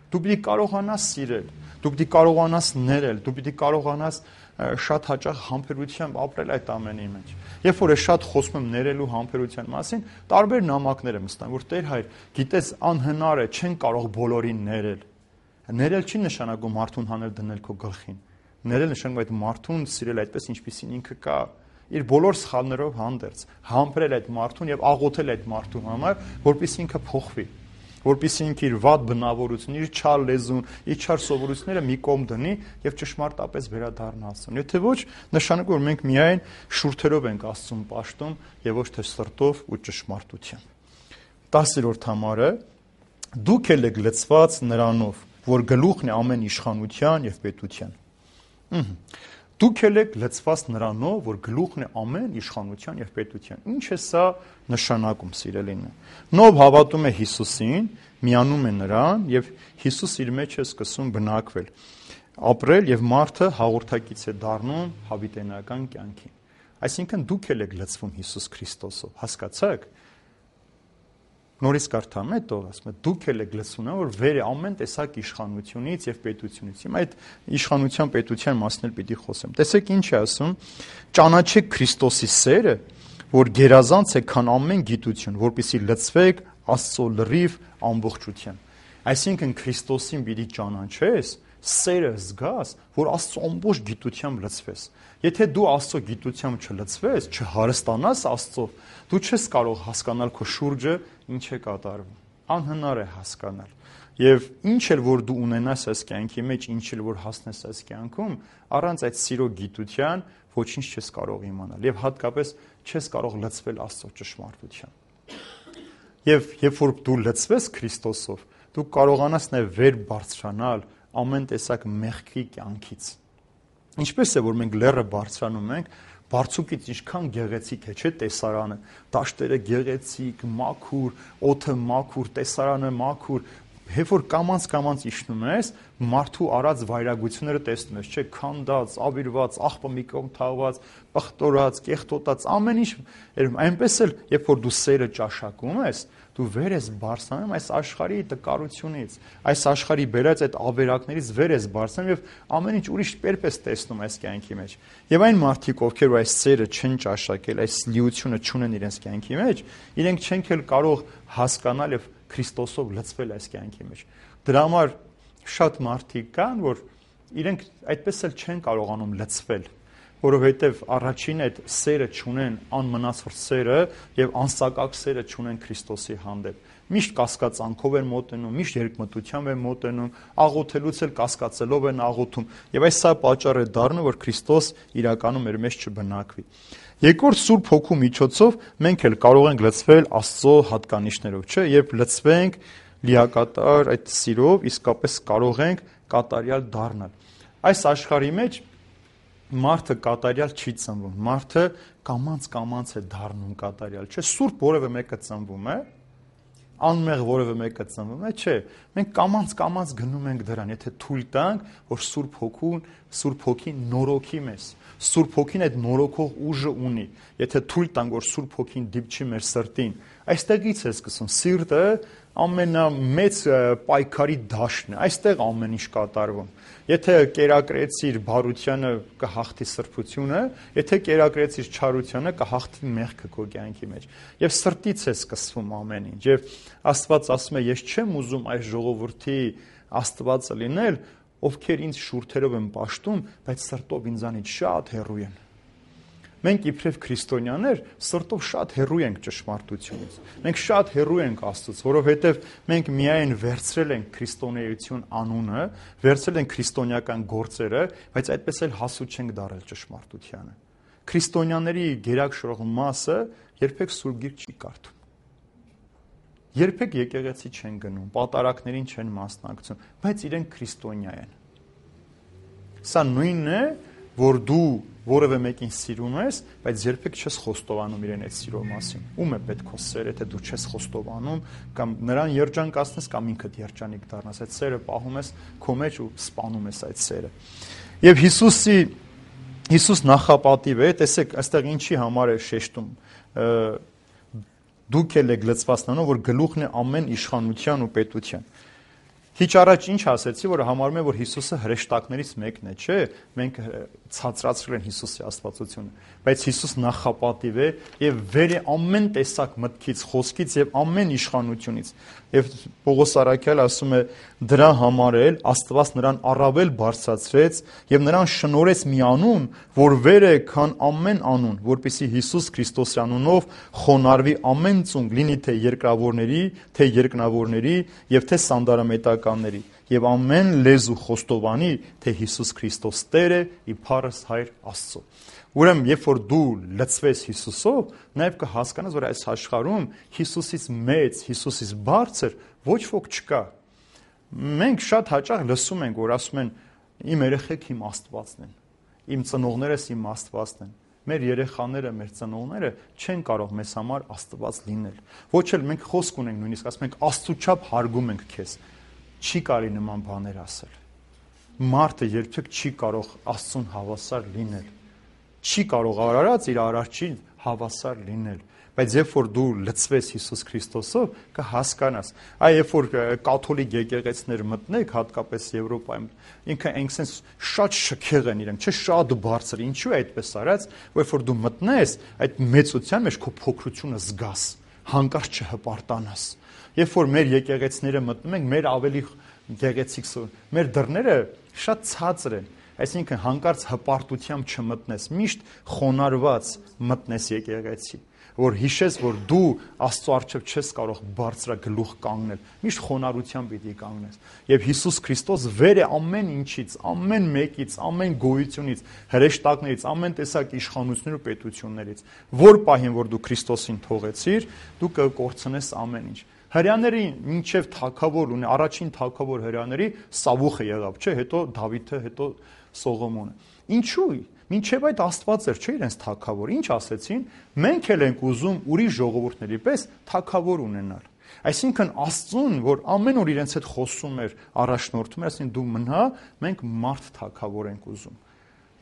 Դու պիտի կարողանաս սիրել, դու պիտի կարողանաս ներել, դու պիտի կարողանաս շատ հաճախ համբերությամբ ապրել այդ ամենի մեջ։ Երբ որ ես շատ խոսում եմ ներելու համբերության մասին, տարբեր նամակներ եմ ստանում, որ Տեր Հայր, գիտես, անհնար է, չեն կարող բոլորին ներել։ Ներել չի նշանակում մարդուն հանել դնել քո գլխին։ Ներել նշանակում այդ մարդուն սիրել այդպես, ինչպեսին ինքը կա, իր բոլոր սխալներով հանդերձ, համբերել այդ մարդուն եւ աղոթել այդ մարդու համար, որպեսզի ինքը փոխվի, որպեսզի ինքը իր վատ բնավորությունը, իր չար լեզուն, իր չար սովորությունները մի կողմ դնի եւ ճշմարտապես վերադառնա Աստծուն։ Եթե ոչ, նշանակում որ մենք միայն շուրթերով ենք Աստծուն պաշտում եւ ոչ թե սրտով ու ճշմարտությամբ։ 10-րդ համարը՝ դուք էլ եք լցված նրանով, որ գլուխն է ամեն իշխանության եւ պետության։ Դուք էլ եք լցված նրանով, որ գլուխն է ամեն իշխանության եւ պետության։ Ինչ է սա նշանակում, սիրելինը։ Նով հավատում է Հիսուսին, միանում է նրան եւ Հիսուս իր մեջ է սկսում բնակվել, ապրել եւ մարդը հաղորդակից է դառնում հավիտենական կյանքին։ Այսինքն դուք էլ եք լցվում Հիսուս Քրիստոսով, հասկացաք։ Նորից կարդամ, հետո ասում է դուք էլ եք լցվում, որ վեր է ամեն տեսակ իշխանությունից եւ պետությունից։ Հիմա այդ իշխանության պետության մասն էլ պիտի խոսեմ։ Տեսեք ինչ է ասում. ճանաչեք Քրիստոսի սերը, որ գերազանց է քան ամեն գիտություն, որպեսզի լցվեք Աստծո լրիվ ամբողջությամբ։ Այսինքն Քրիստոսին պիտի ճանաչես, սերը զգաս, որ Աստծո ամբողջ գիտությամբ լցվես։ Եթե դու Աստծո գիտությամբ չլցվես, չհարստանաս Աստծով, դու չես կարող հասկանալ քո շուրջը ինչ է կատարվում։ Անհնար է հասկանալ։ Եվ ինչ էլ որ դու ունենաս այս կյանքի մեջ, ինչ էլ որ հասնես այս կյանքում, առանց այդ սիրո գիտության ոչինչ չես կարող իմանալ եւ հատկապես չես կարող լցվել Աստծո ճշմարտությամբ։ Եվ երբ որ դու լցվես Քրիստոսով, դու կարողանաս նաեւ վեր բարձրանալ ամեն տեսակ մեղքի կյանքից։ Ինչպես է որ մենք լեռը բարձրանում ենք, բարձուկից ինչքան գեղեցիկ է, չէ՞ տեսարանը, դաշտերը գեղեցիկ, մաքուր, օդը մաքուր, տեսարանը մաքուր, երբ որ կամած իջնում ես, մարդու արած վայրագությունները տեսնում ես, չէ՞, քանդած, ավիրված, աղբը մի կողմ թաղված, պղտորած, կեղտոտած, ամեն ինչ, այնպես էլ, երբ որ դու սերը ճաշակում ես, դու վեր ես բարձրանում այս աշխարհի տկարությունից, այս աշխարհի բերած այդ ավերակներից վեր ես բարձրանում եւ ամեն ինչ ուրիշ պերպես տեսնում այս կյանքի մեջ։ Եվ այն մարդիկ, ովքեր այս սերը չեն ճաշակել, այս լիությունը չունեն իրենց կյանքի մեջ, իրենք չեն էլ կարող հասկանալ եւ Քրիստոսով լցվել այս կյանքի մեջ։ Դրա համար շատ մարդիկ կան, որ իրենք այդպես էլ չեն կարողանում լցվել, որովհետև առաջին այդ սերը չունեն, անմնացվոր սերը եւ անսակակ սերը չունեն Քրիստոսի հանդեպ։ Միշտ կասկածանքով են մոտենում, միշտ երկմտությամբ են մոտենում, աղոթելուց էլ կասկածելով են աղոթում։ Եվ այս սա պատճառ է դառնում, որ Քրիստոս իրականում մեր մեջ չբնակվի։ Երկրորդ Սուրբ Հոգու միջոցով մենք էլ կարող ենք լցվել Աստծո հատկանիշներով, չէ՞, երբ լցվենք լիակատար այդ սիրով, իսկապես կարող ենք կատարյալ դառնալ։ Այս աշխարհի մեջ մարդը կատարյալ չի ծնվում, մարդը կամած է դառնում կատարյալ, չէ՞, սուրբ որևէ մեկը ծնվում է, անմեղ որևէ մեկը ծնվում է, չէ, մենք կամած գնում ենք դրան, եթե թույլ տանք, որ Սուրբ Հոգին նորոգի մեզ, Սուրբ Հոգին այդ նորոգող ուժը ունի, եթե թույլ տանք, որ Սուրբ Հոգին դիպչի մեր սրտին, այստեղից է սկսում, սիրտը ամենամեծ պայքարի դաշտն է, այստեղ ամեն ինչ կատարվում։ Եթե կերակրեցիր բարությանը կհաղթի սրբությունը, եթե կերակրեցիր չարությանը կհաղթի մեղքը քո կյանքի մեջ։ Եվ սրտից է սկսվում ամեն ինչ։ Եվ Աստված ասում է, ես չեմ ուզում այս ժողովրդի Աստվածը լինել, ովքեր ինձ շուրթերով են պաշտում, բայց սրտով ինձանից շատ հեռու են։ Մենք իբրև քրիստոնյաներ սրտով շատ հեռու ենք ճշմարտությունից։ Մենք շատ հեռու ենք Աստծուց, որովհետև մենք միայն վերցրել ենք քրիստոնեություն անունը, վերցրել ենք քրիստոնեական գործերը, բայց այդպես էլ հասու չենք դարել ճշմարտությանը։ քրիստոնյաների գերակշռող մասը երբեք Սուրբ Գիրք չի կարդում։ Երբեք եկեղեցի չեն գնում, պատարակներին չեն մասնակցում, բայց իրենք քրիստոնյա են։ Սա նույնն է, որ դու որևէ մեկին սիրում ես, բայց երբեք չես խոստովանում իրեն այդ սիրո մասին։ Ում է պետք քո սերը, թե դու չես խոստովանում, կամ նրան երջանկացնես, կամ ինքդ երջանիկ դառնաս, այդ սերը պահում ես քո մեջ ու սպանում ես այդ սերը։ Եվ Հիսուս նախապատիվ է, տեսեք, այստեղ ինչի համար է շեշտում։ Դուք էլ եք լծված նրանով, որ գլուխն է ամեն իշխանության ու պետության։ Քիչ առաջ ինչ ասեցի, որ համարում է, որ Հիսուսը հրեշտակներից մեկն է, չէ՞, մենք ցածրացրել են Հիսուսի աստվածությունը, բայց Հիսուս նախապատիվ է եւ վեր է ամեն տեսակ մտքից, խոսքից եւ ամեն իշխանությունից։ Եվ Պողոս Արաքյալը ասում է, դրա համար էլ Աստված նրան առավել բարձրացրեց եւ նրան շնորհեց մի անուն, որ վեր է քան ամեն անուն, որպեսզի Հիսուս Քրիստոսի անունով խոնարհվի ամեն ծունկ, լինի թե երկրավորների, թե երկնավորների եւ թե սանդարամետականների, եւ ամեն լեզու խոստովանի, թե Հիսուս Քրիստոս Տեր է, իբարս Հայր Աստծո։ Ուրեմն, երբ որ դու լցվես Հիսուսով, նաև կհասկանաս, որ այս աշխարհում Հիսուսից մեծ, Հիսուսից բարձր ոչ ոք չկա։ Մենք շատ հաճախ լսում ենք, որ ասում են, իմ երեխեք իմ Աստվածն են, իմ ծնողներս իմ Աստվածն են։ Մեր երեխաները, մեր ծնողները չեն կարող մեզ համար Աստված լինել։ Ոչ էլ մենք խոսք ունենք, նույնիսկ ասում ենք Աստծու չափ հարգում ենք քեզ։ Չի կարելի նման բաներ ասել։ Մարդը երբեք չի կարող Աստծուն հավասար լինել։ Չի կարող արարած իր արարչին հավասար լինել, բայց երբ որ դու լցվես Հիսուս Քրիստոսով, կհասկանաս։ Այ երբ որ կաթոլիկ եկեղեցիներ մտնեք, հատկապես Եվրոպայում, ինքը այնքան շատ շքեղ են իրենք, չէ, շատ բարձր, ինչու է այդպես արած, որ երբ որ դու մտնես, այդ մեծության մեջ քո փոքրությունը զգաս, հանկարծ չհպարտանաս։ Երբ որ մեր եկեղեցիները մտնում ենք, մեր ավելի գեղեցիկ, մեր դռները շատ ցածր են։ Այսինքն հանկարծ հպարտությամբ չմտնես, միշտ խոնարհված մտնես եկեղեցի, որ հիշես, որ դու Աստծո առջև չես կարող բարձրագլուխ կանգնել, միշտ խոնարհությամբ պիտի կանգնես։ Եվ Հիսուս Քրիստոս վեր է ամեն ինչից, ամեն մեկից, ամեն գոյությունից, հրեշտակներից, ամեն տեսակ իշխանություններ ու պետություններից։ Որ պահին, որ դու Քրիստոսին թողեցիր, դու կկորցնես ամեն ինչ։ Հրյաների մինչև թագավոր ունի, առաջին թագավոր հրյաների Սավուխը եղավ, չէ, հետո Դավիթը, հետո Սողոմոնը։ Ինչու՞։ Մինչև այդ Աստված էր, չէ, իրենց թագավոր։ Ինչ ասեցին։ Մենք էլ ենք ուզում ուրիշ ժողովուրդների պես թագավոր ունենալ։ Այսինքն Աստծուն, որ ամեն օր իրենց հետ խոսում էր, առաջնորդում էր, ասին դու մնա, մենք մարդ թագավոր ենք ուզում։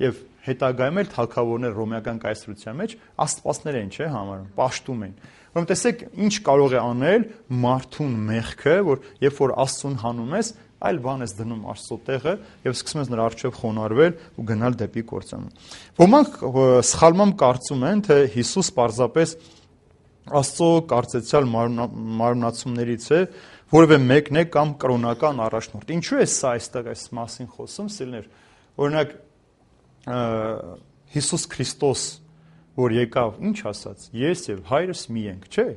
Եվ հետագայում էլ թագավորներ ռոմեական կայսրության մեջ աստվածներ են, չէ, համարում, պաշտում են։ Ուրեմն տեսեք, ինչ կարող է անել մարդուն մեղքը, որ երբ որ Աստծուն հանում ես, այլ բան ես դնում Աստծո տեղը եւ սկսում ես նրա առջև խոնարհվել ու գնալ դեպի կործանում։ Ոմանք սխալմամբ կարծում են, թե Հիսուս պարզապես Աստծո կարծեցյալ մարմնացումներից է, որևէ մեկն է կամ կրոնական առաջնորդ։ Ինչու է սա այստեղ այս մասին խոսում, սիրելիներ։ Օրինակ Հիսուս Քրիստոս, որ եկավ, ինչ ասաց. ես եւ հայրս մի ենք, չէ՞։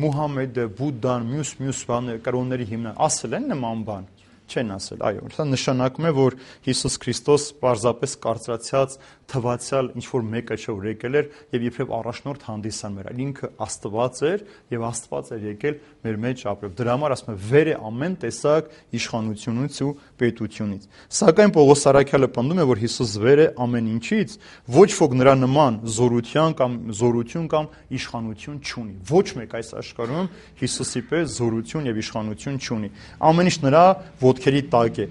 Մուհամեդը, Բուդդան, մյուս բաները, կրոնների հիմնան ասել են նման բան։ Չեն ասել, այո, սա նշանակում է, որ Հիսուս Քրիստոս պարզապես կարծրացած, թվացյալ ինչ-որ մեկը չէ, որ եկել էր եւ իբրև առաջնորդ հանդիսան մեր, այլ ինքը Աստված էր եւ Աստված էր եկել մեր մեջ ապրել։ Դրա համար ասում է, վեր է ամեն տեսակ իշխանությունից ու պետությունից։ Սակայն Պողոս Արաքյալը պնդում է, որ Հիսուս վեր է ամեն ինչից, ոչ ոք նրա նման զորություն կամ իշխանություն չունի։ Ոչ մեկ այս աշխարհում Հիսուսի պես զորություն եւ իշխանություն չունի։ Ամեն ինչ նրա ոտքերի տակ է։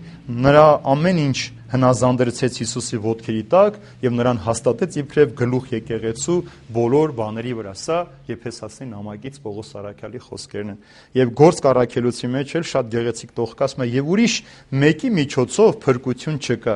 Նրա ամեն ինչ հնազանդեցեց Հիսուսի ոտքերի տակ եւ նրան հաստատեց իբրև գլուխ եկեղեցու բոլոր բաների վրա։ Սա Եփեսացի նամակից Պողոս Արաքյալի խոսքերն են։ Եվ Գործք առաքելոցի մեջ էլ շատ գեղեցիկ տողք ասում է, եւ ուրիշ մեկի միջոցով փրկություն չկա,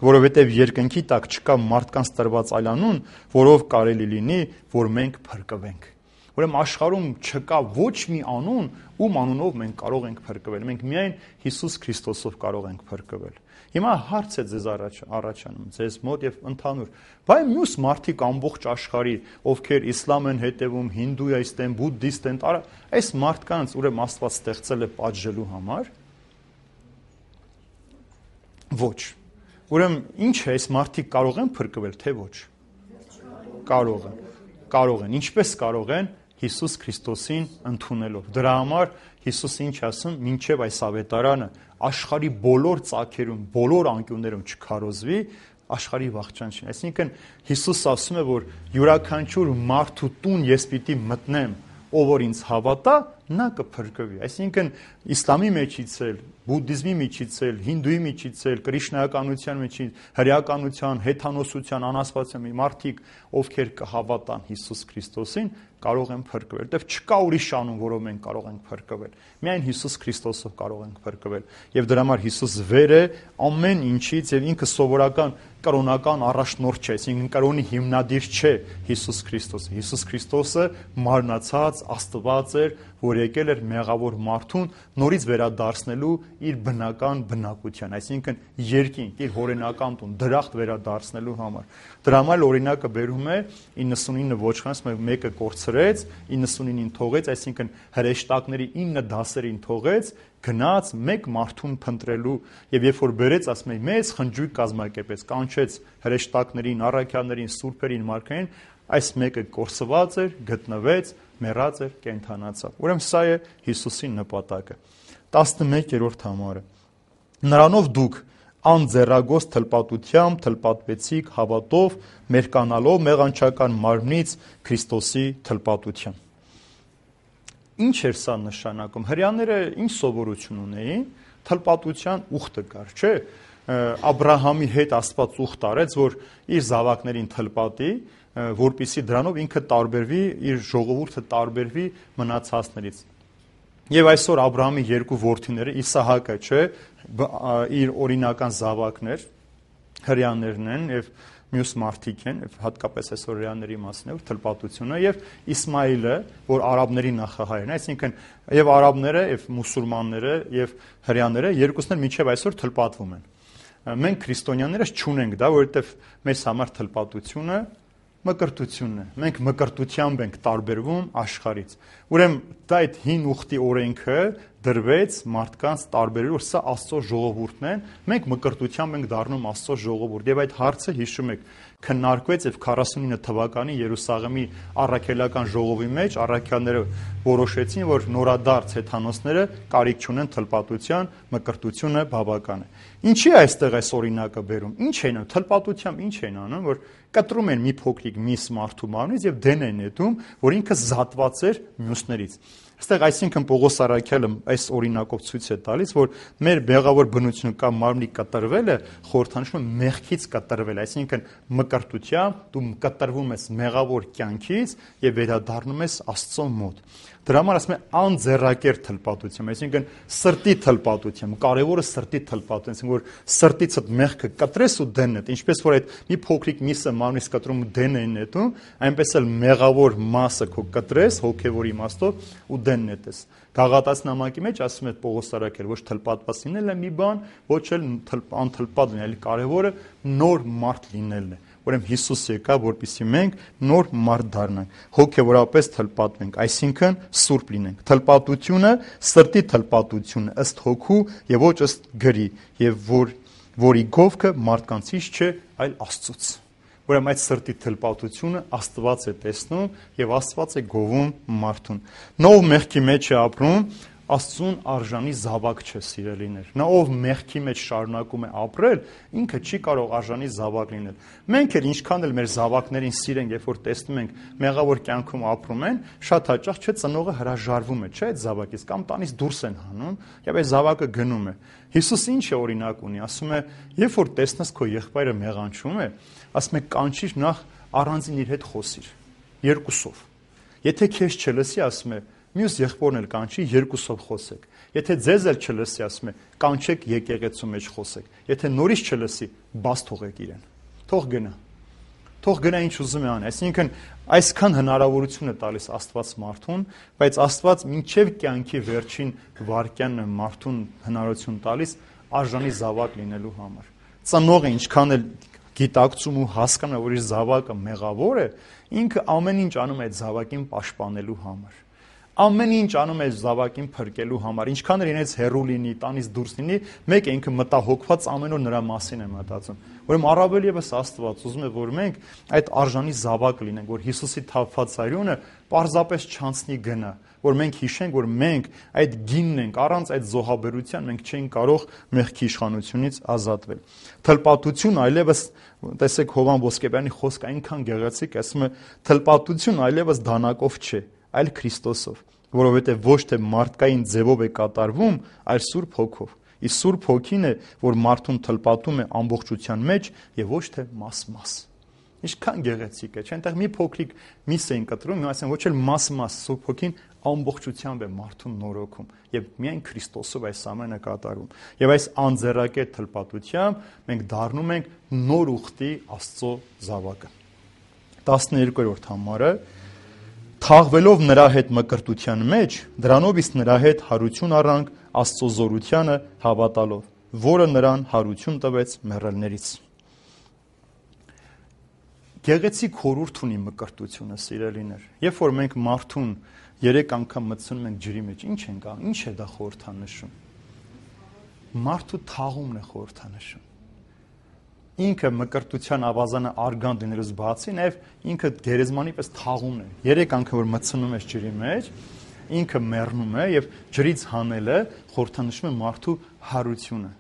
որովհետեւ երկնքի տակ չկա մարդկանց տրված այլ անուն, որով կարելի լինի, որ մենք փրկվենք։ Ուրեմն աշխարհում չկա ոչ մի անուն, ում անունով մենք կարող ենք փրկվել։ Մենք միայն Հիսուս Քրիստոսով կարող ենք փրկվել։ Հիմա հարց է ձեզ առաջանում, ձեզ մոտ եւ ընդհանուր։ Բայց մյուս մարդիկ ամբողջ աշխարհի, ովքեր իսլամ են հետևում, հինդուիստ են, բուդդիստ են, այս մարդկանց ուրեմն Աստված ստեղծել է պատժելու համար։ Ոչ։ Ուրեմն ինչ է, այս մարդիկ կարող են փրկվել, թե ոչ։ Կարող են։ Ինչպես կարող են? Հիսուս Քրիստոսին ընդունելով։ Դրա համար Հիսուսը ինչ ասում, մինչև այս ավետարանը աշխարհի բոլոր ծագերում, բոլոր անկյուններում չքարոզվի, աշխարհի վախճան չի։ Այսինքն Հիսուս ասում է, որ յուրաքանչյուր մարդու տուն ես պիտի մտնեմ, ով որ ինձ հավատա, նա կփրկվի։ Այսինքն իսլամի մեջից էլ, բուդդիզմի միջից էլ, հինդուի միջից էլ, կրիշնայականության միջից, հրեականության, հեթանոսության, անաստվածության մարդիկ, ովքեր կհավատան Հիսուս Քրիստոսին, կարող են փրկվել, որտեղ չկա ուրիշ անուն, որով մենք կարող ենք փրկվել։ Միայն Հիսուս Քրիստոսով կարող ենք փրկվել։ Եվ դրա համար Հիսուս վեր է ամեն ինչից եւ ինքը սովորական կրոնական առաջնորդ չէ, այսինքն կրոնի հիմնադիր չէ Հիսուս Քրիստոսը։ Հիսուս Քրիստոսը մարմնացած Աստված էր, որ եկել էր մեղավոր մարդուն նորից վերադարձնելու իր բնական բնակության, այսինքն երկինք, իր հորենական տուն, դրախտ վերադարձնելու համար։ Դրա համար օրինակը բերում է 99 ոչխանից մեկը կորցրեց, 99-ին թողեց, այսինքն հրեշտակների 9 դասերին թողեց, գնաց մեկ մարդուն փնտրելու եւ երբ որ բերեց, ասում է, մեծ խնջույք կազմակերպեց, կանչեց հրեշտակներին, առաքյալներին, սուրբերին, մարգարեին, այս մեկը կորսված էր, գտնվեց, մեռած էր, կենդանացավ։ Ուրեմն սա է Հիսուսի նպատակը։ 11-րդ համարը։ Նրանով դուք անձեռագոց թլպատությամբ թլպատվեցիք հավատով, մերկանալով մեղանչական մարմնից Քրիստոսի թլպատությամբ։ Ինչ էր սա նշանակում։ Հրեաները ինչ սովորություն ունեին? Թլպատության ուխտը կար, չէ՞։ Աբրահամի հետ Աստված ուխտ արեց, որ իր զավակներին թլպատի, որպեսզի դրանով ինքը տարբերվի, իր ժողովուրդը տարբերվի մնացածներից։ Եվ այսօր Աբրահամի երկու որդիները, Իսահակը, չէ, իր օրինական զավակներ, հրեաներն են եւ մյուս մարդիկ են, հատկապես այսօր հրեաների մասն է, թլպատությունը, եւ Իսմայիլը, որ արաբների նախահայրն է, այսինքն եւ արաբները, եւ մուսուլմանները, եւ հրեաները երկուսն էլ մինչեւ այսօր թլպատվում են։ Մենք քրիստոնյաներս չունենք դա, որովհետեւ մեզ համար թլպատությունը մկրտությունն է։ Մենք մկրտությամբ ենք տարբերվում աշխարհից։ Ուրեմն դա այդ հին ուխտի օրենքը դրվեց մարդկանց տարբերելու, որ սա Աստծո ժողովուրդն են, մենք մկրտությամբ ենք դառնում Աստծո ժողովուրդ։ Եվ այդ հարցը հիշում եք, քննարկվեց եւ 49 թվականի Երուսաղեմի առաքելական ժողովի մեջ առաքյալները որոշեցին, որ նորադարձ հեթանոսները կարիք չունեն թլպատության, մկրտությունը բավական է։ Ինչի է այստեղ այս օրինակը բերում։ Ինչ են անում թլպատությամբ, ինչ են անում, որ կտրում են մի փոքրիկ միս մարդու մարմնից եւ դեն են նետում, որ ինքը զատված էր մյուսներից։ Այստեղ այսինքն Պողոս առաքյալը այս օրինակով ցույց է տալիս, որ մեր մեղավոր բնությունը կամ մարմնի կտրվելը խորհրդանշում է մեղքից կտրվել, այսինքն մկրտությամբ դու կտրվում ես մեղավոր կյանքից եւ վերադառնում ես Աստծո մոտ։ Դրա համար ասում է անձեռակեր թլպատություն, այսինքն սրտի թլպատություն, կարևորը սրտի թլպատություն, որ սրտիցդ մեղքը կտրես ու դեն նետ, ինչպես որ այդ մի փոքրիկ միսը մարմնից կտրում ու դեն են նետում, այնպես էլ մեղավոր մասը քո կտրես հոգևոր իմաստով ու դեն նետես։ Գաղատաց նամակի մեջ ասում է Պողոս առաքյալ, ոչ թլպատված լինելն է մի բան, ոչ էլ անթլպատ լինել, կարևորը նոր մարդ լինելն է։ Ուրեմն Հիսուս եկավ, որպեսզի մենք նոր մարդ դառնանք, հոգևորապես թլպատվենք, այսինքն սուրբ լինենք։ Թլպատությունը սրտի թլպատությունը ըստ հոգու եւ ոչ ըստ գրի, եւ որի գովքը մարդկանցից չէ, այլ Աստծուց։ Ուրեմն այդ սրտի թլպատությունը Աստված է տեսնում եւ Աստված է գովում մարդուն։ Նա ով մեղքի մեջ է ապրում, Աստծուն արժանի զավակ չէ, սիրելիներ։ Նա ով մեղքի մեջ շարունակում է ապրել, ինքը չի կարող արժանի զավակ լինել։ Մենք էլ ինչքան էլ մեր զավակներին սիրենք, երբ որ տեսնում ենք մեղավոր կյանքում ապրում են, շատ հաճախ չէ ծնողը հրաժարվում է, չէ, այդ զավակից կամ տանից դուրս են հանում, եւ այդ զավակը գնում է։ Հիսուս ինչ է օրինակ ունի, ասում է, երբ որ տեսնես քո եղբայրը մեղանչում է, ասում է կանչիր նախ առանձին իր հետ խոսիր, երկուսով։ Եթե քեզ չլսի, ասում է մյուս եղբորն էլ կանչի, երկուսով խոսեք։ Եթե ձեզ էլ չլսի, ասում է, կանչեք եկեղեցու մեջ խոսեք։ Եթե նորից չլսի, բաց թողեք իրեն։ Թող գնա։ Թող գնա ինչ ուզում է անի։ Այսինքն այսքան հնարավորություն է տալիս Աստված մարդուն, բայց Աստված մինչև կյանքի վերջին վայրկյանն է մարդուն հնարավորություն տալիս արժանի զավակ լինելու համար։ Ծնողը ինչքան էլ գիտակցում ու հասկանում է, որ իր զավակը մեղավոր է, ինքը ամեն ինչ անում է այդ զավակին պաշտպանելու համար։ Ամեն ինչ անում է զավակին փրկելու համար, ինչքան էլ ինձ հեռու լինի, տանից դուրս լինի, մեկ է ինքը մտահոգված ամեն օր նրա մասին է մտածում։ Ուրեմն առավել եւս Աստված ուզում է, որ մենք այդ արժանի զավակ լինենք, որ Հիսուսի թափված արյունը պարզապես չանցնի գնա, որ մենք հիշենք, որ մենք այդ գինն ենք, առանց այդ զոհաբերության մենք չենք կարող մեղքի իշխանությունից ազատվել։ Թլպատություն այլևս, տեսեք Հովան Ոսկեբյանի խոսքը այնքան գեղեցիկ, ասում է, թլպատություն այլևս դանակով չէ, այլ Քրիստոսով, որովհետև ոչ թե մարդկային ձևով է կատարվում, այլ Սուրբ Հոգով։ Իսկ Սուրբ Հոգին է, որ մարդուն թլպատում է ամբողջության մեջ եւ ոչ թե մաս-մաս։ Ինչքան գեղեցիկ է, չէ՞, այնտեղ մի փոքրիկ միս էին կտրում, հիմա ասեն ոչ էլ մաս-մաս, Սուրբ Հոգին ամբողջությամբ է մարդուն նորոգում եւ միայն Քրիստոսով այս ամենը կատարում։ Եվ այս անձեռակետ թլպատությամբ մենք դառնում ենք նոր ուխտի Աստծո զավակը։ 12-րդ համարը թաղվելով նրա հետ մկրտության մեջ, դրանով իսկ նրա հետ հարություն առանք Աստծո զորությանը հավատալով, որը նրան հարություն տվեց մեռելներից։ Գեղեցիկ խորհուրդ ունի մկրտությունը, սիրելիներ։ Երբ որ մենք մարդուն 3 անգամ մտցնում ենք ջրի մեջ, ինչ ենք անում, ինչ է դա խորհրդանշում։ Մարդու թաղումն է խորհրդանշում։ Ինքը մկրտության ավազանը արգանդ լինելուց բացի, նաև ինքը գերեզմանի պես թաղումն է։ 3 անգամ որ մտցնում ես ջրի մեջ, ինքը մեռնում է եւ ջրից հանելը խորհրդանշում է մարդու հարությունը։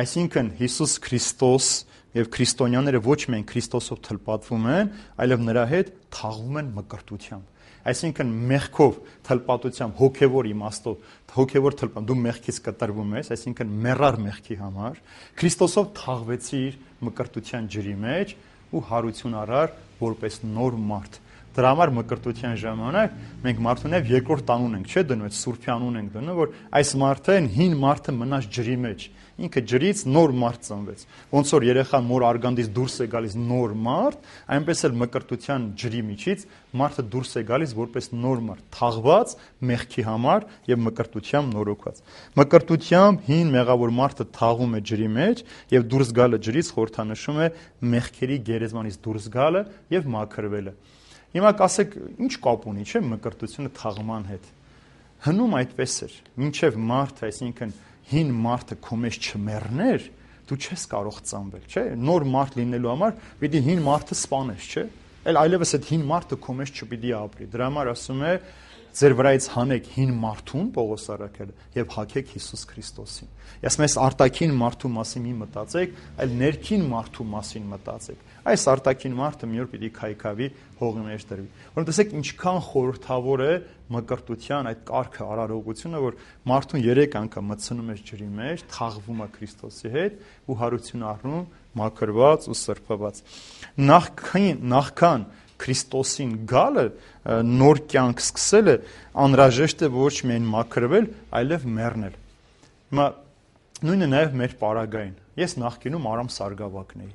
Այսինքն Հիսուս Քրիստոս եւ քրիստոնյաները ոչ միայն Քրիստոսով թլպատվում են, այլև նրա հետ թաղվում են մկրտությամբ։ Այսինքն մեղքով թլպատությամբ հոգևոր իմաստով, հոգևոր թլպան, դու մեղքից կտրվում ես, այսինքն մեռար մեղքի համար, Քրիստոսով թաղվեցիր մկրտության ջրի մեջ ու հարություն առար որպես նոր մարդ։ Դրա համար մկրտության ժամանակ մենք մարդուն եւ երկրորդ անուն ենք, չէ՞ դնում, այդ Սուրբի անուն ենք դնում, որ այս մարդը հին մարդը մնաց ջրի մեջ։ Ինքը ջրից նոր մարդ ծնվեց։ Ոնց որ երեխան մոր արգանդից դուրս է գալիս նոր մարդ, այնպես էլ մկրտության ջրի միջից մարդը դուրս է գալիս որպես նոր մարդ, թաղված մեղքի համար եւ մկրտությամբ նորոգված։ Մկրտությամբ հին մեղավոր մարդը թաղում է ջրի մեջ եւ դուրս գալը ջրից խորհրդանշում է մեղքերի գերեզմանից դուրս գալը եւ մաքրվելը։ Հիմա կասեք, ինչ կապ ունի, չէ՞ մկրտությունը թաղման հետ։ Հնում այդպես էր, մինչև մարդը, այսինքն հին մարդը քո մեջ չմեռներ, դու չես կարող ծնվել, չէ՞։ Նոր մարդ լինելու համար պիտի հին մարդը սպանես, չէ՞։ Այլևս այդ հին մարդը քո մեջ չպիտի ապրի։ Դրա համար ասում է, ձեր վրայից հանեք հին մարդուն, Պողոս առաքյալը, եւ հագեք Հիսուս Քրիստոսին։ Ասում ես արտաքին մարդու մասին մի մտածեք, այլ ներքին մարդու մասին մտածեք։ Այս արտաքին մարդը մի օր պիտի քայքավի հողի մեջ դրվի։ Որոնք տեսեք ինչքան խորհրդավոր է մկրտության այդ կարգը, արարողությունը, որ մարդուն 3 անգամ մտցնում է ջրի մեջ, թաղվում է Քրիստոսի հետ ու հարություն առնում, մաքրված ու սրբված։ Նախքան Քրիստոսին գալը, նոր կյանք սկսելը անհրաժեշտ է ոչ միայն մաքրվել, այլև մեռնել։ Հիմա նույնը նաև մեր պարագային։ Ես նախկինում Արամ Սարգսակն էի։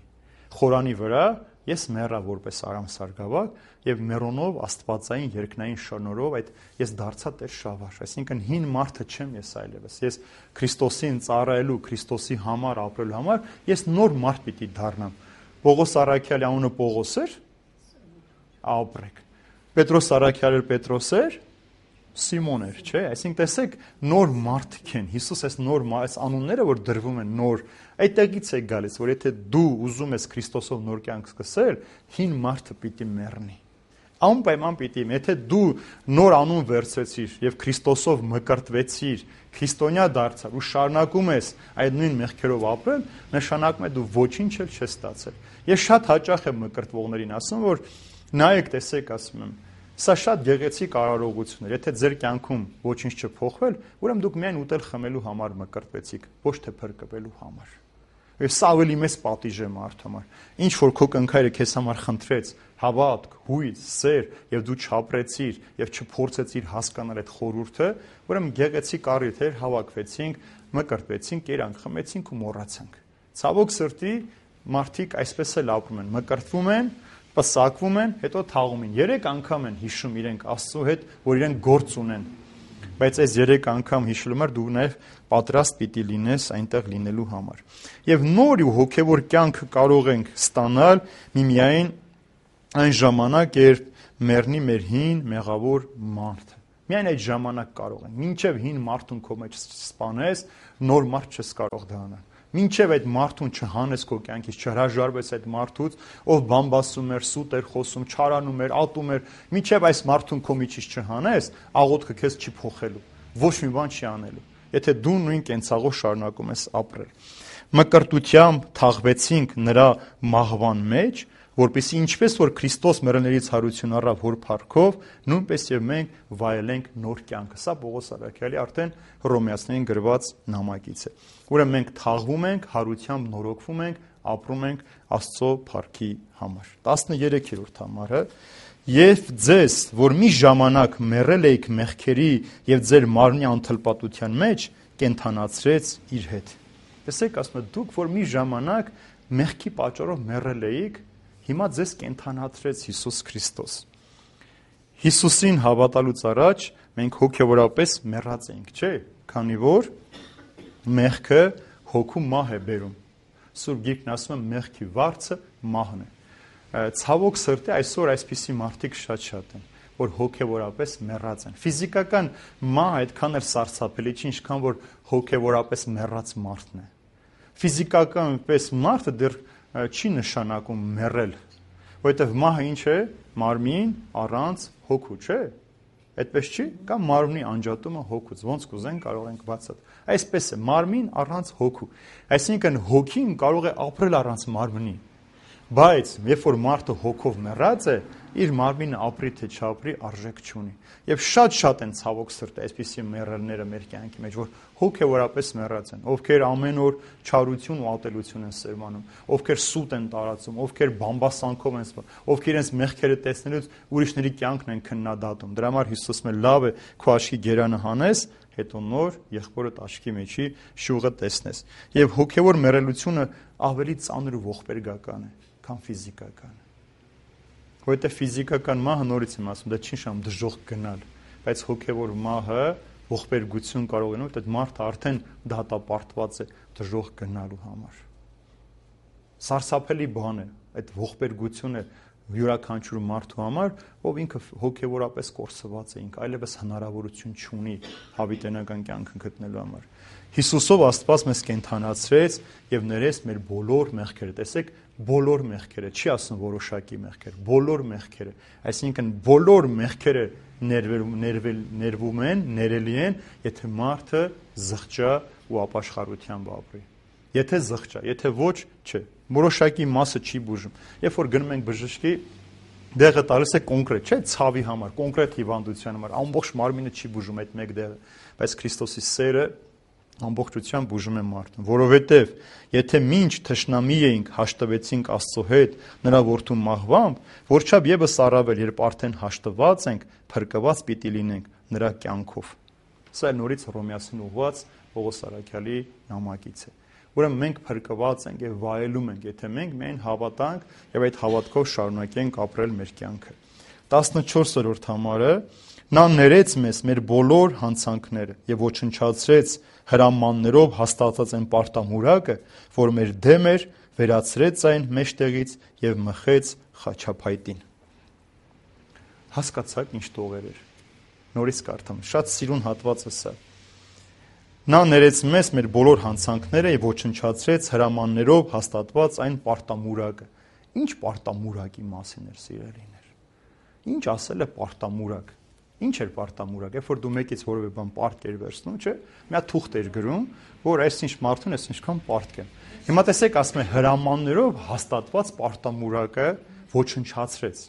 Խորանի վրա ես մեռա որպես Արամ Սարգսակ եւ մեռոնով աստվածային երկնային շնորհով այդ ես դարձա Տեր Շավար, այսինքն հին մարդը չեմ ես այլևս։ Ես Քրիստոսին ծառայելու, Քրիստոսի համար ապրելու համար ես նոր մարդ պիտի դառնամ։ Պողոս առաքյալի անունը Պողոս էր, ապրեք։ Պետրոս առաքյալը Պետրոս էր, Սիմոն էր, չէ՞։ Այսինքն տեսեք նոր մարդիկ են։ Հիսուս այս նոր այս անունները որ դրվում են նոր, այդտեղից է գալիս, որ եթե դու ուզում ես Քրիստոսով նոր կյանք սկսել, հին մարդը պիտի մեռնի։ Անպայման պիտի, եթե դու նոր անուն վերցրեցիր եւ Քրիստոսով մկրտվեցիր, քրիստոնյա դարձար ու շարունակում ես այդ նույն մեղքերով ապրել, նշանակում է դու ոչինչ էլ չես ստացել։ Ես շատ հաճախ եմ մկրտվողներին ասում, որ նայեք, տեսեք, ասում եմ, սա շատ գեղեցիկ արարողություն է։ Եթե ձեր կյանքում ոչինչ չփոխվել, ուրեմն դուք միայն ուտել խմելու համար մկրտվեցիք, ոչ թե փրկվելու համար։ Եվ սա ավելի մեծ պատիժ է մարդու համար։ Ինչ որ քո կնքայրը քեզ համար խնդրեց, հավատք, հույս, սեր, եւ դու չապրեցիր եւ չփորձեցիր հասկանալ այդ խորհուրդը, ուրեմն գեղեցիկ առիթ էր, հավաքվեցինք, մկրտվեցինք, կերանք, խմեցինք ու մոռացանք։ Ցավոք սրտի մարդիկ այսպես էլ ապրում են, մկրտվում են, պսակվում են, հետո թաղում են։ 3 անգամ են հիշում իրենք Աստծո հետ, որ իրենք գործ ունեն։ Բայց այս 3 անգամ հիշելու համար դու նաև պատրաստ պիտի լինես այնտեղ լինելու համար։ Եվ նոր ու հոգևոր կյանքը կարող ենք ստանալ միմիայն այն ժամանակ, երբ մեռնի մեր հին մեղավոր մարդը։ Միայն այդ ժամանակ կարող են։ Մինչև հին մարդուն քո մեջ սպանես, նոր մարդ չես կարող դա անել։ Մինչև այդ մարդուն չհանես քո կյանքից, չհրաժարվես այդ մարդուց, ով բամբասում էր, սուտ էր խոսում, չարանում էր, ատում էր, մինչև այս մարդուն քո միջից չհանես, աղոթքը քեզ չի փոխելու, ոչ մի բան չի անելու։ Եթե դու նույն կենցաղով շարունակում ես ապրել։ Մկրտությամբ թաղվեցինք նրա մահվան մեջ, որպեսզի ինչպես որ Քրիստոս մեռելներից հարություն առավ հոր փառքով, նույնպես եւ մենք վայելենք նոր կյանքը։ Սա Պողոս առաքյալի արդեն Հռոմեացիներին գրված նամակից է։ Ուրեմն մենք թաղվում ենք, հարությամբ նորոգվում ենք, ապրում ենք Աստծո փառքի համար։ 13-րդ համարը. Եվ ձեզ, որ մի ժամանակ մեռել էիք մեղքերի եւ ձեր մարմնի անթլպատության մեջ, կենթանացրեց իր հետ։ Տեսեք, ասում է, դուք որ մի ժամանակ մեղքի պատճառով մեռել էիք, հիմա ձեզ կենթանացրեց Հիսուս Քրիստոս։ Հիսուսին հավատալուց առաջ մենք հոգևորապես մեռած էինք, չէ՞, քանի որ մեղքը հոգու մահ է բերում։ Սուրբ Գիրքն ասում է մեղքի վարձը մահն է։ Ցավոք սրտի այսօր այսպիսի մարդիկ շատ են, որ հոգևորապես մեռած են։ Ֆիզիկական մահ այդքան էլ սարսափելի չի, ինչքան որ հոգևորապես մեռած մարդն է։ Ֆիզիկական պես մարդը դեռ չի նշանակում մեռել, որովհետև մահը ինչ է, մարմին առանց հոգու, չէ՞։ Այդպես չի, կամ մարմնի անջատումը հոգուց, ոնց կուզենք կարող ենք բացատրել։ Այսպես է, մարմին առանց հոգու։ Այսինքն հոգին կարող է ապրել առանց մարմնի, բայց երբ որ մարդը հոգով մեռած է, իր մարմինը ապրի թե չապրի արժեք չունի։ Եվ շատ են ցավոք սրտի այսպիսի մեռելները մեր կյանքի մեջ, որ հոգևորապես մեռած են, ովքեր ամեն օր չարություն ու ատելություն են սերմանում, ովքեր սուտ են տարածում, ովքեր բամբասանքով են սպանում, ովքեր իրենց մեղքերը տեսնելուց ուրիշների կյանքն են քննադատում։ Դրա համար Հիսուսը լավ է քո աչքի գերանը հանես, հետո նոր եղբորդ աչքի մեջի շուղը տեսնես։ Եվ հոգևոր մեռելությունը ավելի ծանր ու ողբերգական է, քան ֆիզիկականը։ Որովհետև ֆիզիկական մահը, նորից եմ ասում, դա չի նշանակում դժոխք գնալ, բայց հոգևոր մահը ողբերգություն կարող է, որովհետև մարդը արդեն դատապարտված է դժոխք գնալու համար։ Սարսափելի բան է այդ ողբերգությունը յուրաքանչյուր մարդու համար, ով ինքը հոգևորապես կորսված է, ինքը այլևս հնարավորություն չունի հավիտենական կյանքը գտնելու համար։ Հիսուսով Աստված մեզ կենթանացրեց եւ ներեց մեր բոլոր մեղքերը։ Տեսեք, բոլոր մեղքերը, չի ասում որոշակի մեղքեր, բոլոր մեղքերը, այսինքն բոլոր մեղքերը ներվում են, ներելի են, եթե մարդը զղջա ու ապաշխարությամբ ապրի։ Եթե զղջա, եթե ոչ, չէ։ Որոշակի մասը չի բուժում։ Երբ որ գնում ենք բժշկի, դեղը տալիս է կոնկրետ, չէ, ցավի համար, կոնկրետ հիվանդության համար, ամբողջ մարմինը չի բուժում այդ մեկ դեղը, բայց Քրիստոսի սերը ամբողջությամբ բուժում է մարդուն, որովհետև եթե մինչ թշնամի էինք, հաշտվեցինք Աստծո հետ նրա որդու մահվամբ, որչափ եւս առավել, երբ արդեն հաշտված ենք, փրկված պիտի լինենք նրա կյանքով։ Սա նորից Հռոմեացին ուղված Պողոս առաքյալի նամակից է։ Ուրեմն մենք փրկված ենք եւ վայելում ենք, եթե մենք միայն հավատանք եւ այդ հավատքով շարունակենք ապրել մեր կյանքը։ 14-րդ համարը. Նա ներեց մեզ մեր բոլոր հանցանքները եւ ոչնչացրեց հրամաններով հաստատած այն պարտամուրակը, որ մեր դեմ էր, վերացրեց այն մեջտեղից եւ մխեց խաչափայտին։ Հասկացաք ինչ տողեր էր։ Նորից կարդամ, շատ սիրուն հատված է սա։ Նա ներեց մեզ մեր բոլոր հանցանքները եւ ոչնչացրեց հրամաններով հաստատված այն պարտամուրակը։ Ինչ պարտամուրակի մասին էր, սիրելիներ։ Ինչ ասել է պարտամուրակ։ Ինչ էր պարտամուրակ, երբ որ դու մեկից որևէ բան պարտք էր վերցնում, չէ՞, մի հատ թուղթ էր գրում, որ այսինչ մարդուն էս ինչքան պարտք է։ Հիմա տեսեք, ասում է հրամաններով հաստատված պարտամուրակը ոչնչացրեց։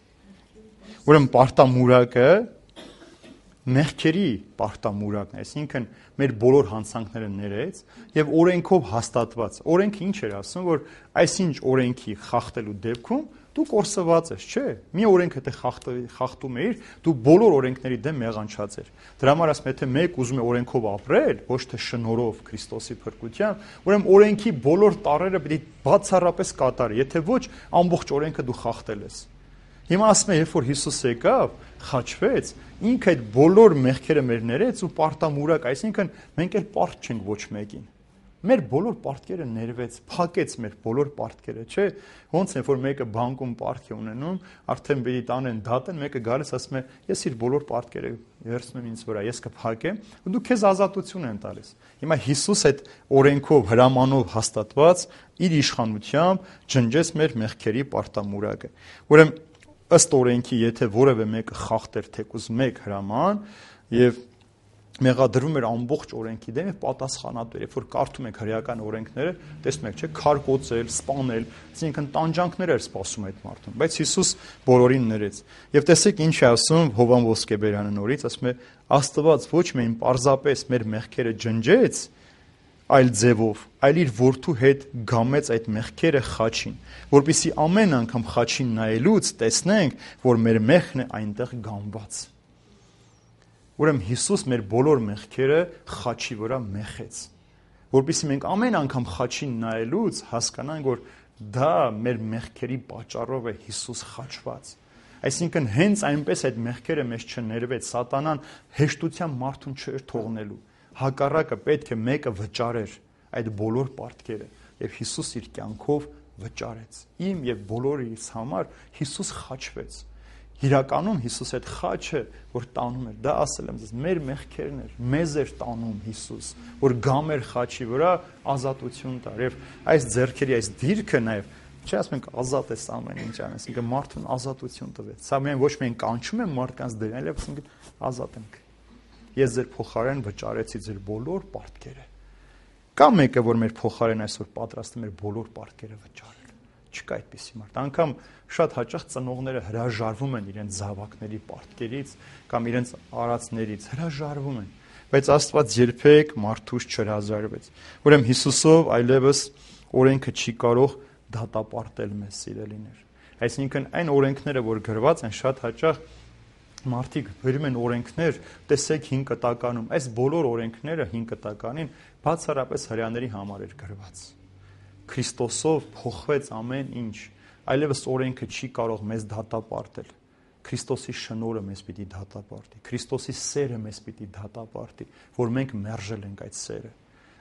Ուրեմն պարտամուրակը մեղքերի պարտամուրակն է, այսինքն մեր բոլոր հանցանքները ներեց եւ օրենքով հաստատված։ Օրենքը ինչ էր ասում, որ այսինչ օրենքի խախտելու դեպքում դու կորսված ես, չէ՞։ Մի օրենքը թե խախտում էիր, դու բոլոր օրենքների դեմ մեղանչած ես։ Դրա համար ասում եմ, եթե մեկ ուզում է օրենքով ապրել, ոչ թե շնորհով Քրիստոսի փրկությամբ, ուրեմն օրենքի բոլոր տառերը պիտի բացառապես կատարի, եթե ոչ, ամբողջ օրենքը դու խախտել ես։ Հիմա ասում եմ, երբ որ Հիսուս եկավ, խաչվեց, ինքը այդ բոլոր մեղքերը մեր ներեց ու պարտամուրակ, այսինքն մենք էլ պարտ չենք ոչ մեկին։ Մեր բոլոր պարտքերը ներվեց, փակեց մեր բոլոր պարտքերը, չէ՞։ Ոնց է որ մեկը բանկում պարտք է ունենում, արդեն բերի տանեն դատեն, մեկը գալիս ասում է, ես իր բոլոր պարտքերը վերցնում ինձ վրա, ես կփակեմ, ու դու քեզ ազատություն են տալիս։ Հիմա Հիսուս այդ օրենքով, հրամանով հաստատված իր իշխանությամբ ջնջեց մեր մեղքերի պարտամուրակը։ Ուրեմն ըստ օրենքի, եթե որևէ մեկը խախտեր թեկուզ մեկ հրաման եւ մեղադրվում էր ամբողջ օրենքի դեմ եւ պատասխանատու էր, երբ որ կարդում եք հրեական օրենքները, տեսնում եք, չէ՞, քարկոծել, սպանել, այսինքն տանջանքներ էր սպասում այդ մարդուն, բայց Հիսուս բոլորին ներեց։ Եվ տեսեք ինչ է ասում Հովհան Ոսկեբերյանը նորից, ասում է. Աստված ոչ միայն պարզապես մեր մեղքերը ջնջեց այլ ձևով, այլ իր որդու հետ գամեց այդ մեղքերը խաչին, որպեսզի ամեն անգամ խաչին նայելուց տեսնենք, որ մեր մեղքն է այնտեղ գամված։ Ուրեմն Հիսուս մեր բոլոր մեղքերը խաչի վրա մեխեց, որպեսզի մենք ամեն անգամ խաչին նայելուց հասկանանք, որ դա մեր մեղքերի պատճառով է Հիսուս խաչված։ Այսինքն հենց այնպես այդ մեղքերը մեզ չներվեց, սատանան հեշտությամբ մարդուն չէր թողնելու։ Հակառակը պետք է մեկը վճարեր այդ բոլոր պարտքերը, եւ Հիսուս իր կյանքով վճարեց։ Իմ եւ բոլորիս համար Հիսուս խաչվեց։ Իրականում Հիսուս այդ խաչը, որ տանում էր, դա ասել եմ ձեզ, մեր մեղքերն էր, մեզ էր տանում Հիսուս, որ գամ էր խաչի վրա ազատություն տար։ Եվ այս ձեռքերի այս դիրքը նաև, չէ, ասում ենք ազատ ես ամեն ինչ անես, ինքը մարդուն ազատություն տվեց։ Սա միայն ոչ միայն կանչում եմ մարդկանց դրան, այլև ասում ենք ազատ ենք։ Ես ձեր փոխարեն վճարեցի ձեր բոլոր պարտքերը։ Կա մեկը, որ մեր փոխարեն այսօր պատրաստ է մեր բոլոր պարտքերը վճարել։ Չկա այդպիսի մարդ։ Անգամ շատ հաճախ ծնողները հրաժարվում են իրենց զավակների պարտքերից կամ իրենց արածներից, հրաժարվում են, բայց Աստված երբեք մարդուց չհրաժարվեց։ Ուրեմն Հիսուսով այլևս օրենքը չի կարող դատապարտել մեզ, սիրելիներ։ Այսինքն այն օրենքները, որ գրված են, շատ հաճախ մարդիկ գրում են օրենքներ, տեսեք 5 կտականում, այս բոլոր օրենքները 5 կտականին բացառապես հրեաների համար էր գրված։ Քրիստոսով փոխվեց ամեն ինչ, այլևս օրենքը չի կարող մեզ դատապարտել։ Քրիստոսի շնորհը մեզ պիտի դատապարտի, Քրիստոսի սերը մեզ պիտի դատապարտի, որ մենք մերժել ենք այդ սերը։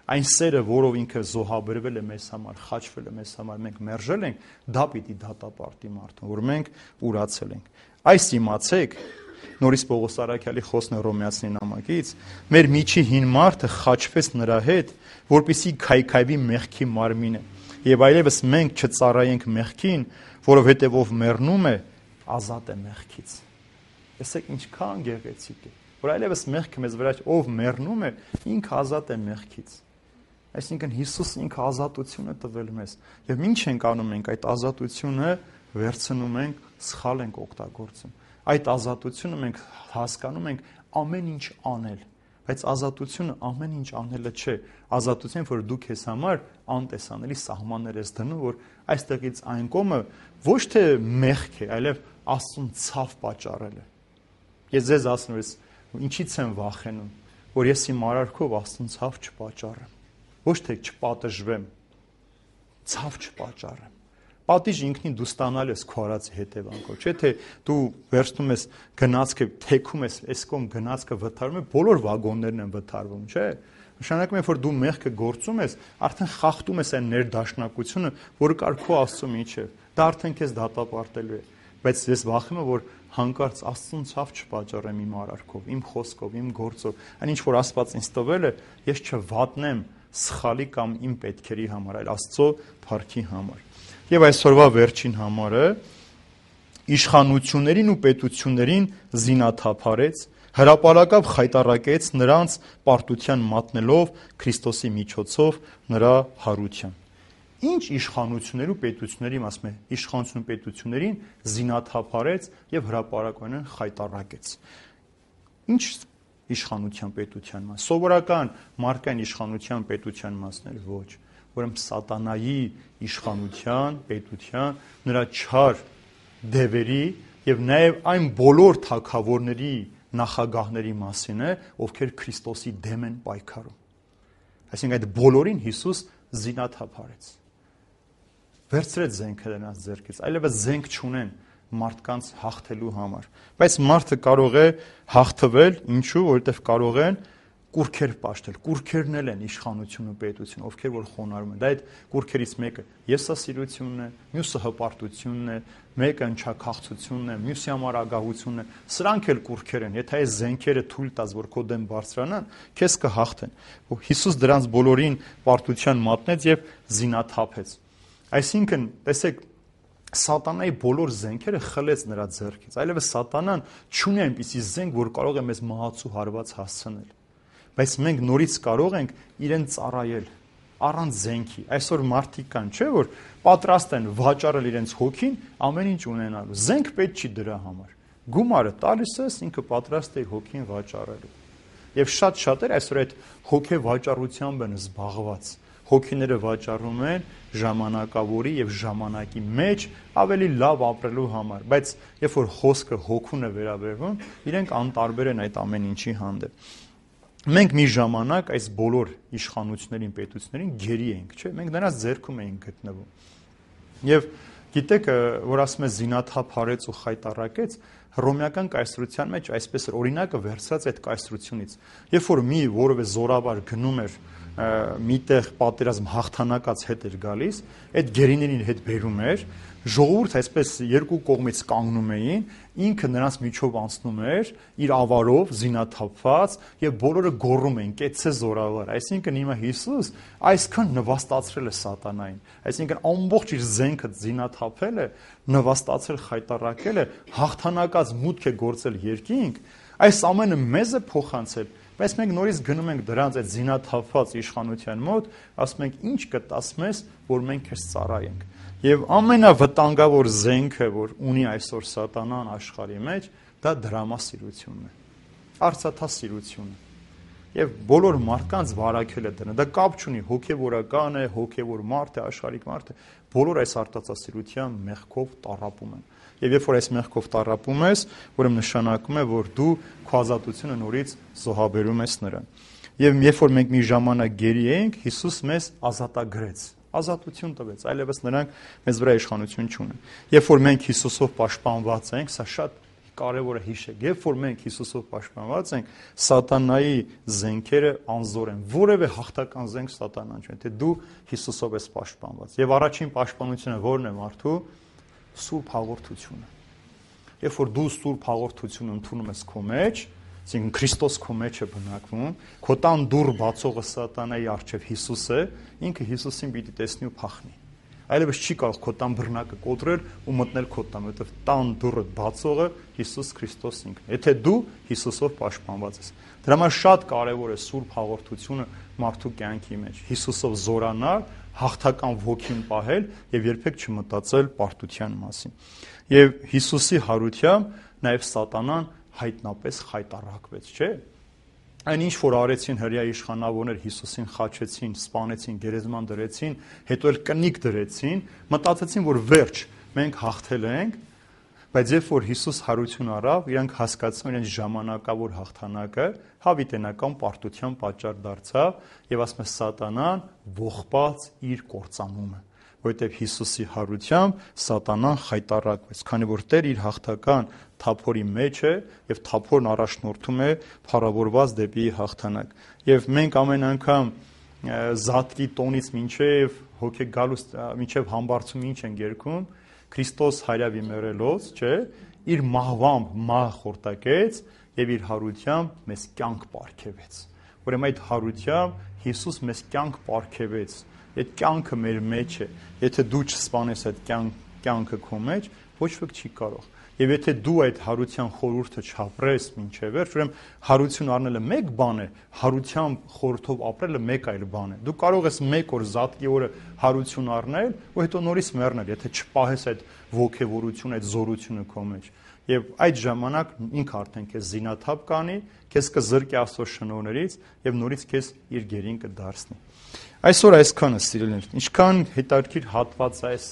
Այն սերը, որով ինքը զոհաբերվել է մեզ համար, խաչվել է մեզ համար, մենք մերժել ենք, դա պիտի դատապարտի մարդուն, որ մենք ուրացել ենք։ Այս իմացեք, նորից Պողոս Արաքյալի խոսքն է Հռոմեացիների նամակից, մեր միջի հին մարդը խաչվեց նրա հետ, որպեսզի քայքայվի մեղքի մարմինը, եւ այլևս մենք չծառայենք մեղքին, որովհետեւ ով մեռնում է, ազատ է մեղքից։ Տեսեք ինչքան գեղեցիկ է, որ այլևս մեղքը մեզ վրա ով մեռնում է, ինքը ազատ է մեղքից։ Այսինքն Հիսուս ինքը ազատություն է տվել մեզ, եւ ինչ ենք անում մենք այդ ազատությունը վերցնում ենք, սխալ ենք օգտագործում։ Այդ ազատությունը մենք հասկանում ենք ամեն ինչ անել, բայց ազատությունը ամեն ինչ անելը չէ, ազատություն, որ դու քեզ համար անտեսանելի սահմաններ ես դնում, որ այստեղից այն կողմը ոչ թե մեղք է, այլև Աստծուն ցավ պատճառել է։ Ես ձեզ ասում եմ, ինչից եմ վախենում, որ ես իմ արարքով Աստծուն ցավ չպատճառեմ, ոչ թե չպատժվեմ, ցավ չպատճառեմ։ Պատիժ ինքնին դու ստանալ ես քո արածի հետևանքով, չէ՞ թե դու վերցնում ես գնացքը, թեքում ես, այս կողմ գնացքը վթարում է, բոլոր վագոններն են վթարվում, չէ՞։ Նշանակում է, որ դու մեղքը գործում ես, արդեն խախտում ես այն ներդաշնակությունը, որը կար քո Աստծո միջև։ Դա արդեն քեզ դատապարտելու է։ Բայց ես վախում եմ, որ հանկարծ Աստծուն ցավ չպատճառեմ իմ արարքով, իմ խոսքով, իմ գործով, այն ինչ որ Աստված ինձ տվել է, ես չվատնեմ սխալի կամ իմ պետքերի համար, այլ Աստծո փառքի համար։ Եվ այսօրվա վերջին համարը իշխանություններին ու պետություններին զինաթափարեց, հրապարակավ խայտառակեց նրանց պարտության մատնելով Քրիստոսի միջոցով նրա հարության։ Ինչ իշխանություններ ու պետությունների, ասում է, իշխանություն ու պետություններին զինաթափարեց եւ հրապարակորեն խայտառակեց։ Ինչ իշխանության պետության մաս, սովորական մարդկային իշխանության պետության մասներ ոչ, ուրեմն սատանայի իշխանության, պետության, նրա չար դևերի եւ նաեւ այն բոլոր թագավորների, նախագահների մասին է, ովքեր Քրիստոսի դեմ են պայքարում։ Այսինքն այդ բոլորին Հիսուս զինաթափարեց։ Վերցրեց զենքը նրանց ձեռքից, այլևս զենք չունեն մարդկանց հաղթելու համար։ Բայց մարդը կարող է հաղթվել, ինչու, որովհետև կարող են կուրքեր պաշտել, կուրքերն էլ են իշխանություն ու պետություն, ովքեր որ խոնարհում են։ Դա այդ կուրքերից մեկը եսասիրությունն է, մյուսը հպարտությունն է, մեկը ընչաքաղցությունն է, մյուսի համար ագահությունն է։ Սրանք էլ կուրքեր են։ Եթե այս զենքերը թույլ տաս, որ քո դեմ բարձրանան, քեզ կհաղթեն։ Ու Հիսուս դրանց բոլորին պարտության մատնեց եւ զինաթափեց։ Այսինքն, տեսեք, Սատանայի բոլոր զենքերը խլեց նրա ձեռքից։ Այլևս Սատանան չունի այնպիսի զենք, որ կարող է մեզ մահացու հարված հասցնել։ Բայց մենք նորից կարող ենք իրեն ծառայել առանց զենքի։ Այսօր մարդիկ կան, չէ՞ որ պատրաստ են վաճառել իրենց հոգին ամեն ինչ ունենալու։ Զենք պետք չի դրա համար։ Գումարը տալիս ես, ինքը պատրաստ է իր հոգին վաճառելու։ Եվ շատ-շատեր այսօր այդ հոգե վաճառությամբ են զբաղված։ Հոգիները վաճառում են ժամանակավորի եւ ժամանակի մեջ ավելի լավ ապրելու համար, բայց երբ որ խոսքը հոգուն է վերաբերվում, իրենք անտարբեր են այդ ամեն ինչի հանդեպ։ Մենք մի ժամանակ այս բոլոր իշխանություններին, պետություններին գերի ենք, չէ՞, մենք նրանց ձեռքում էինք գտնվում։ Եվ գիտեք, որ ասում է զինաթափ արեց ու խայտառակեց, հռոմեական կայսրության մեջ այսպես էր օրինակը վերցրած այդ կայսրությունից։ Երբ որ մի որևէ զորավար գնում էր միտեղ պատերազմ հաղթանակած հետ էր գալիս, այդ գերիներին հետ բերում էր, ժողովուրդ այսպես երկու կողմից կանգնում էին, ինքը նրանց միջով անցնում էր իր ավարով զինաթափված եւ բոլորը գոռում էին կեցցե զորավար։ Այսինքն հիմա Հիսուս այսքան նվաստացրել է սատանային, այսինքն ամբողջ իր զենքը զինաթափել է, նվաստացել, խայտառակել է, հաղթանակած մուտք է գործել երկինք, այս ամենը մեզ է փոխանցել։ Բայց մենք նորից գնում ենք դրանց այդ զինաթափված իշխանության մոտ, ասում ենք ինչ կտաս մեզ, որ մենք քեզ ծառայենք։ Եվ ամենավտանգավոր զենքը, որ ունի այսօր սատանան աշխարհի մեջ, դա դրամասիրությունն է, արծաթասիրությունը։ Եվ բոլոր մարդկանց վարակել է դրան։ Դա կապ չունի հոգևորական է, հոգևոր մարդ է, աշխարհիկ մարդ է, բոլոր այս արծաթասիրության մեղքով տառապում են։ Եվ երբ որ այս մեղքով տառապում ես, ուրեմն նշանակում է, որ դու քո ազատությունը նորից զոհաբերում ես նրան։ Եվ երբ որ մենք մի ժամանակ գերի էինք, Հիսուս մեզ ազատագրեց, ազատություն տվեց, այլևս նրանք մեզ վրա իշխանություն չունեն։ Երբ որ մենք Հիսուսով պաշտպանված ենք, սա շատ կարևոր է հիշեք, երբ որ մենք Հիսուսով պաշտպանված ենք, սատանայի զենքերը անզոր են, որևէ հաղթական զենք սատանան չէ, թե դու Հիսուսով ես պաշտպանված։ Եվ առաջին պաշտպանությունը ո՞րն է մարդու։ Սուրբ հաղորդությունը։ Երբ որ դու սուրբ հաղորդությունը ընդունում ես քո մեջ, այսինքն Քրիստոս քո մեջ է բնակվում, քո տան դուռ բացողը սատանայի առջև Հիսուս է, ինքը Հիսուսին պիտի տեսնի ու փախնի։ Այլևս չի կարող քո տան բռնակը կոտրել ու մտնել քո տան, որովհետև տան դուռը բացողը Հիսուս Քրիստոս ինքն է։ Եթե դու Հիսուսով պաշտպանված ես։ Դրա համար շատ կարևոր է սուրբ հաղորդությունը մարդու կյանքի մեջ։ Հիսուսով զորանալ, հաղթական ոգին պահել եւ երբեք չմտածել պարտության մասին։ Եվ Հիսուսի հարությամբ նաեւ սատանան հայտնապես խայտառակվեց, չէ՞։ Այն ինչ որ արեցին հրյա իշխանավորներ Հիսուսին խաչեցին, սպանեցին, գերեզման դրեցին, հետո էլ կնիկ դրեցին, մտածեցին, որ վերջ, մենք հաղթել ենք, բայց երբ որ Հիսուս հարություն առավ, իրանք հասկացան իրենց ժամանակավոր հաղթանակը հավիտենական պարտության պատճառ դարձավ եւ ասում է սատանան ողբաց իր կործանումը, որովհետեւ Հիսուսի հարությամբ սատանան խայտառակվեց, քանի որ Տեր իր հաղթական թափորի մեջ է եւ թափորն առաջնորդում է փառավորված դեպի հաղթանակ։ Եվ մենք ամեն անգամ զատկի տոնից մինչև հոգեգալուց մինչև համբարձում ինչ են երգում, Քրիստոս հայրավի մեռելոց, չէ, իր մահվամբ մահ խորտակեց եւ իր հարությամբ մեզ կյանք պարգևեց։ Ուրեմն այդ հարությամբ Հիսուս մեզ կյանք պարգևեց։ Այդ կյանքը մեր մեջ է։ Եթե դու չսպանես այդ կյանքը քո մեջ, ոչ ոք չի կարող։ Եվ եթե դու այդ հարության խորհուրդը չապրես մինչև վերջ, ուրեմն հարություն առնելը մեկ բան է, հարությամբ խորհրդով ապրելը մեկ այլ բան է։ Դու կարող ես մեկ օր զատկի օրը հարություն առնել, ու հետո նորից մեռնել, եթե չպահես այդ ոգևորությունը, այդ զորությունը քո մեջ։ Եվ այդ ժամանակ ինքը արդեն քեզ զինաթափ կանի, քեզ կզրկի Աստծո շնորհներից եւ նորից քեզ իր գերին կդարձնի։ Այսօր այսքանը սիրելիներ, ինչքան հետաքրքիր հատված այս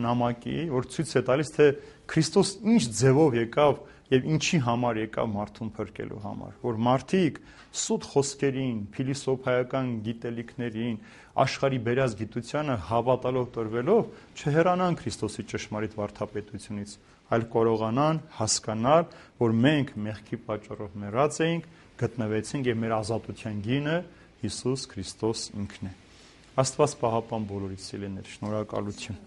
նամակի, որ ցույց է տալիս, թե Քրիստոս ինչ ձևով եկավ եւ ինչի համար եկավ մարդուն փրկելու համար, որ մարդիկ սուտ խոսքերին, փիլիսոփայական գիտելիքներին, աշխարհի բերած գիտությանը հավատալով տրվելով չհեռանան Քրիստոսի ճշմարիտ վարդապետությունից, այլ կարողանան հասկանալ, որ մենք մեղքի պատճառով մեռած էինք, գտնվեցինք եւ մեր ազատության գինը Հիսուս Քրիստոս ինքն է։ Աստված պահապան բոլորիդ սիրելիներ, շնորհակալություն։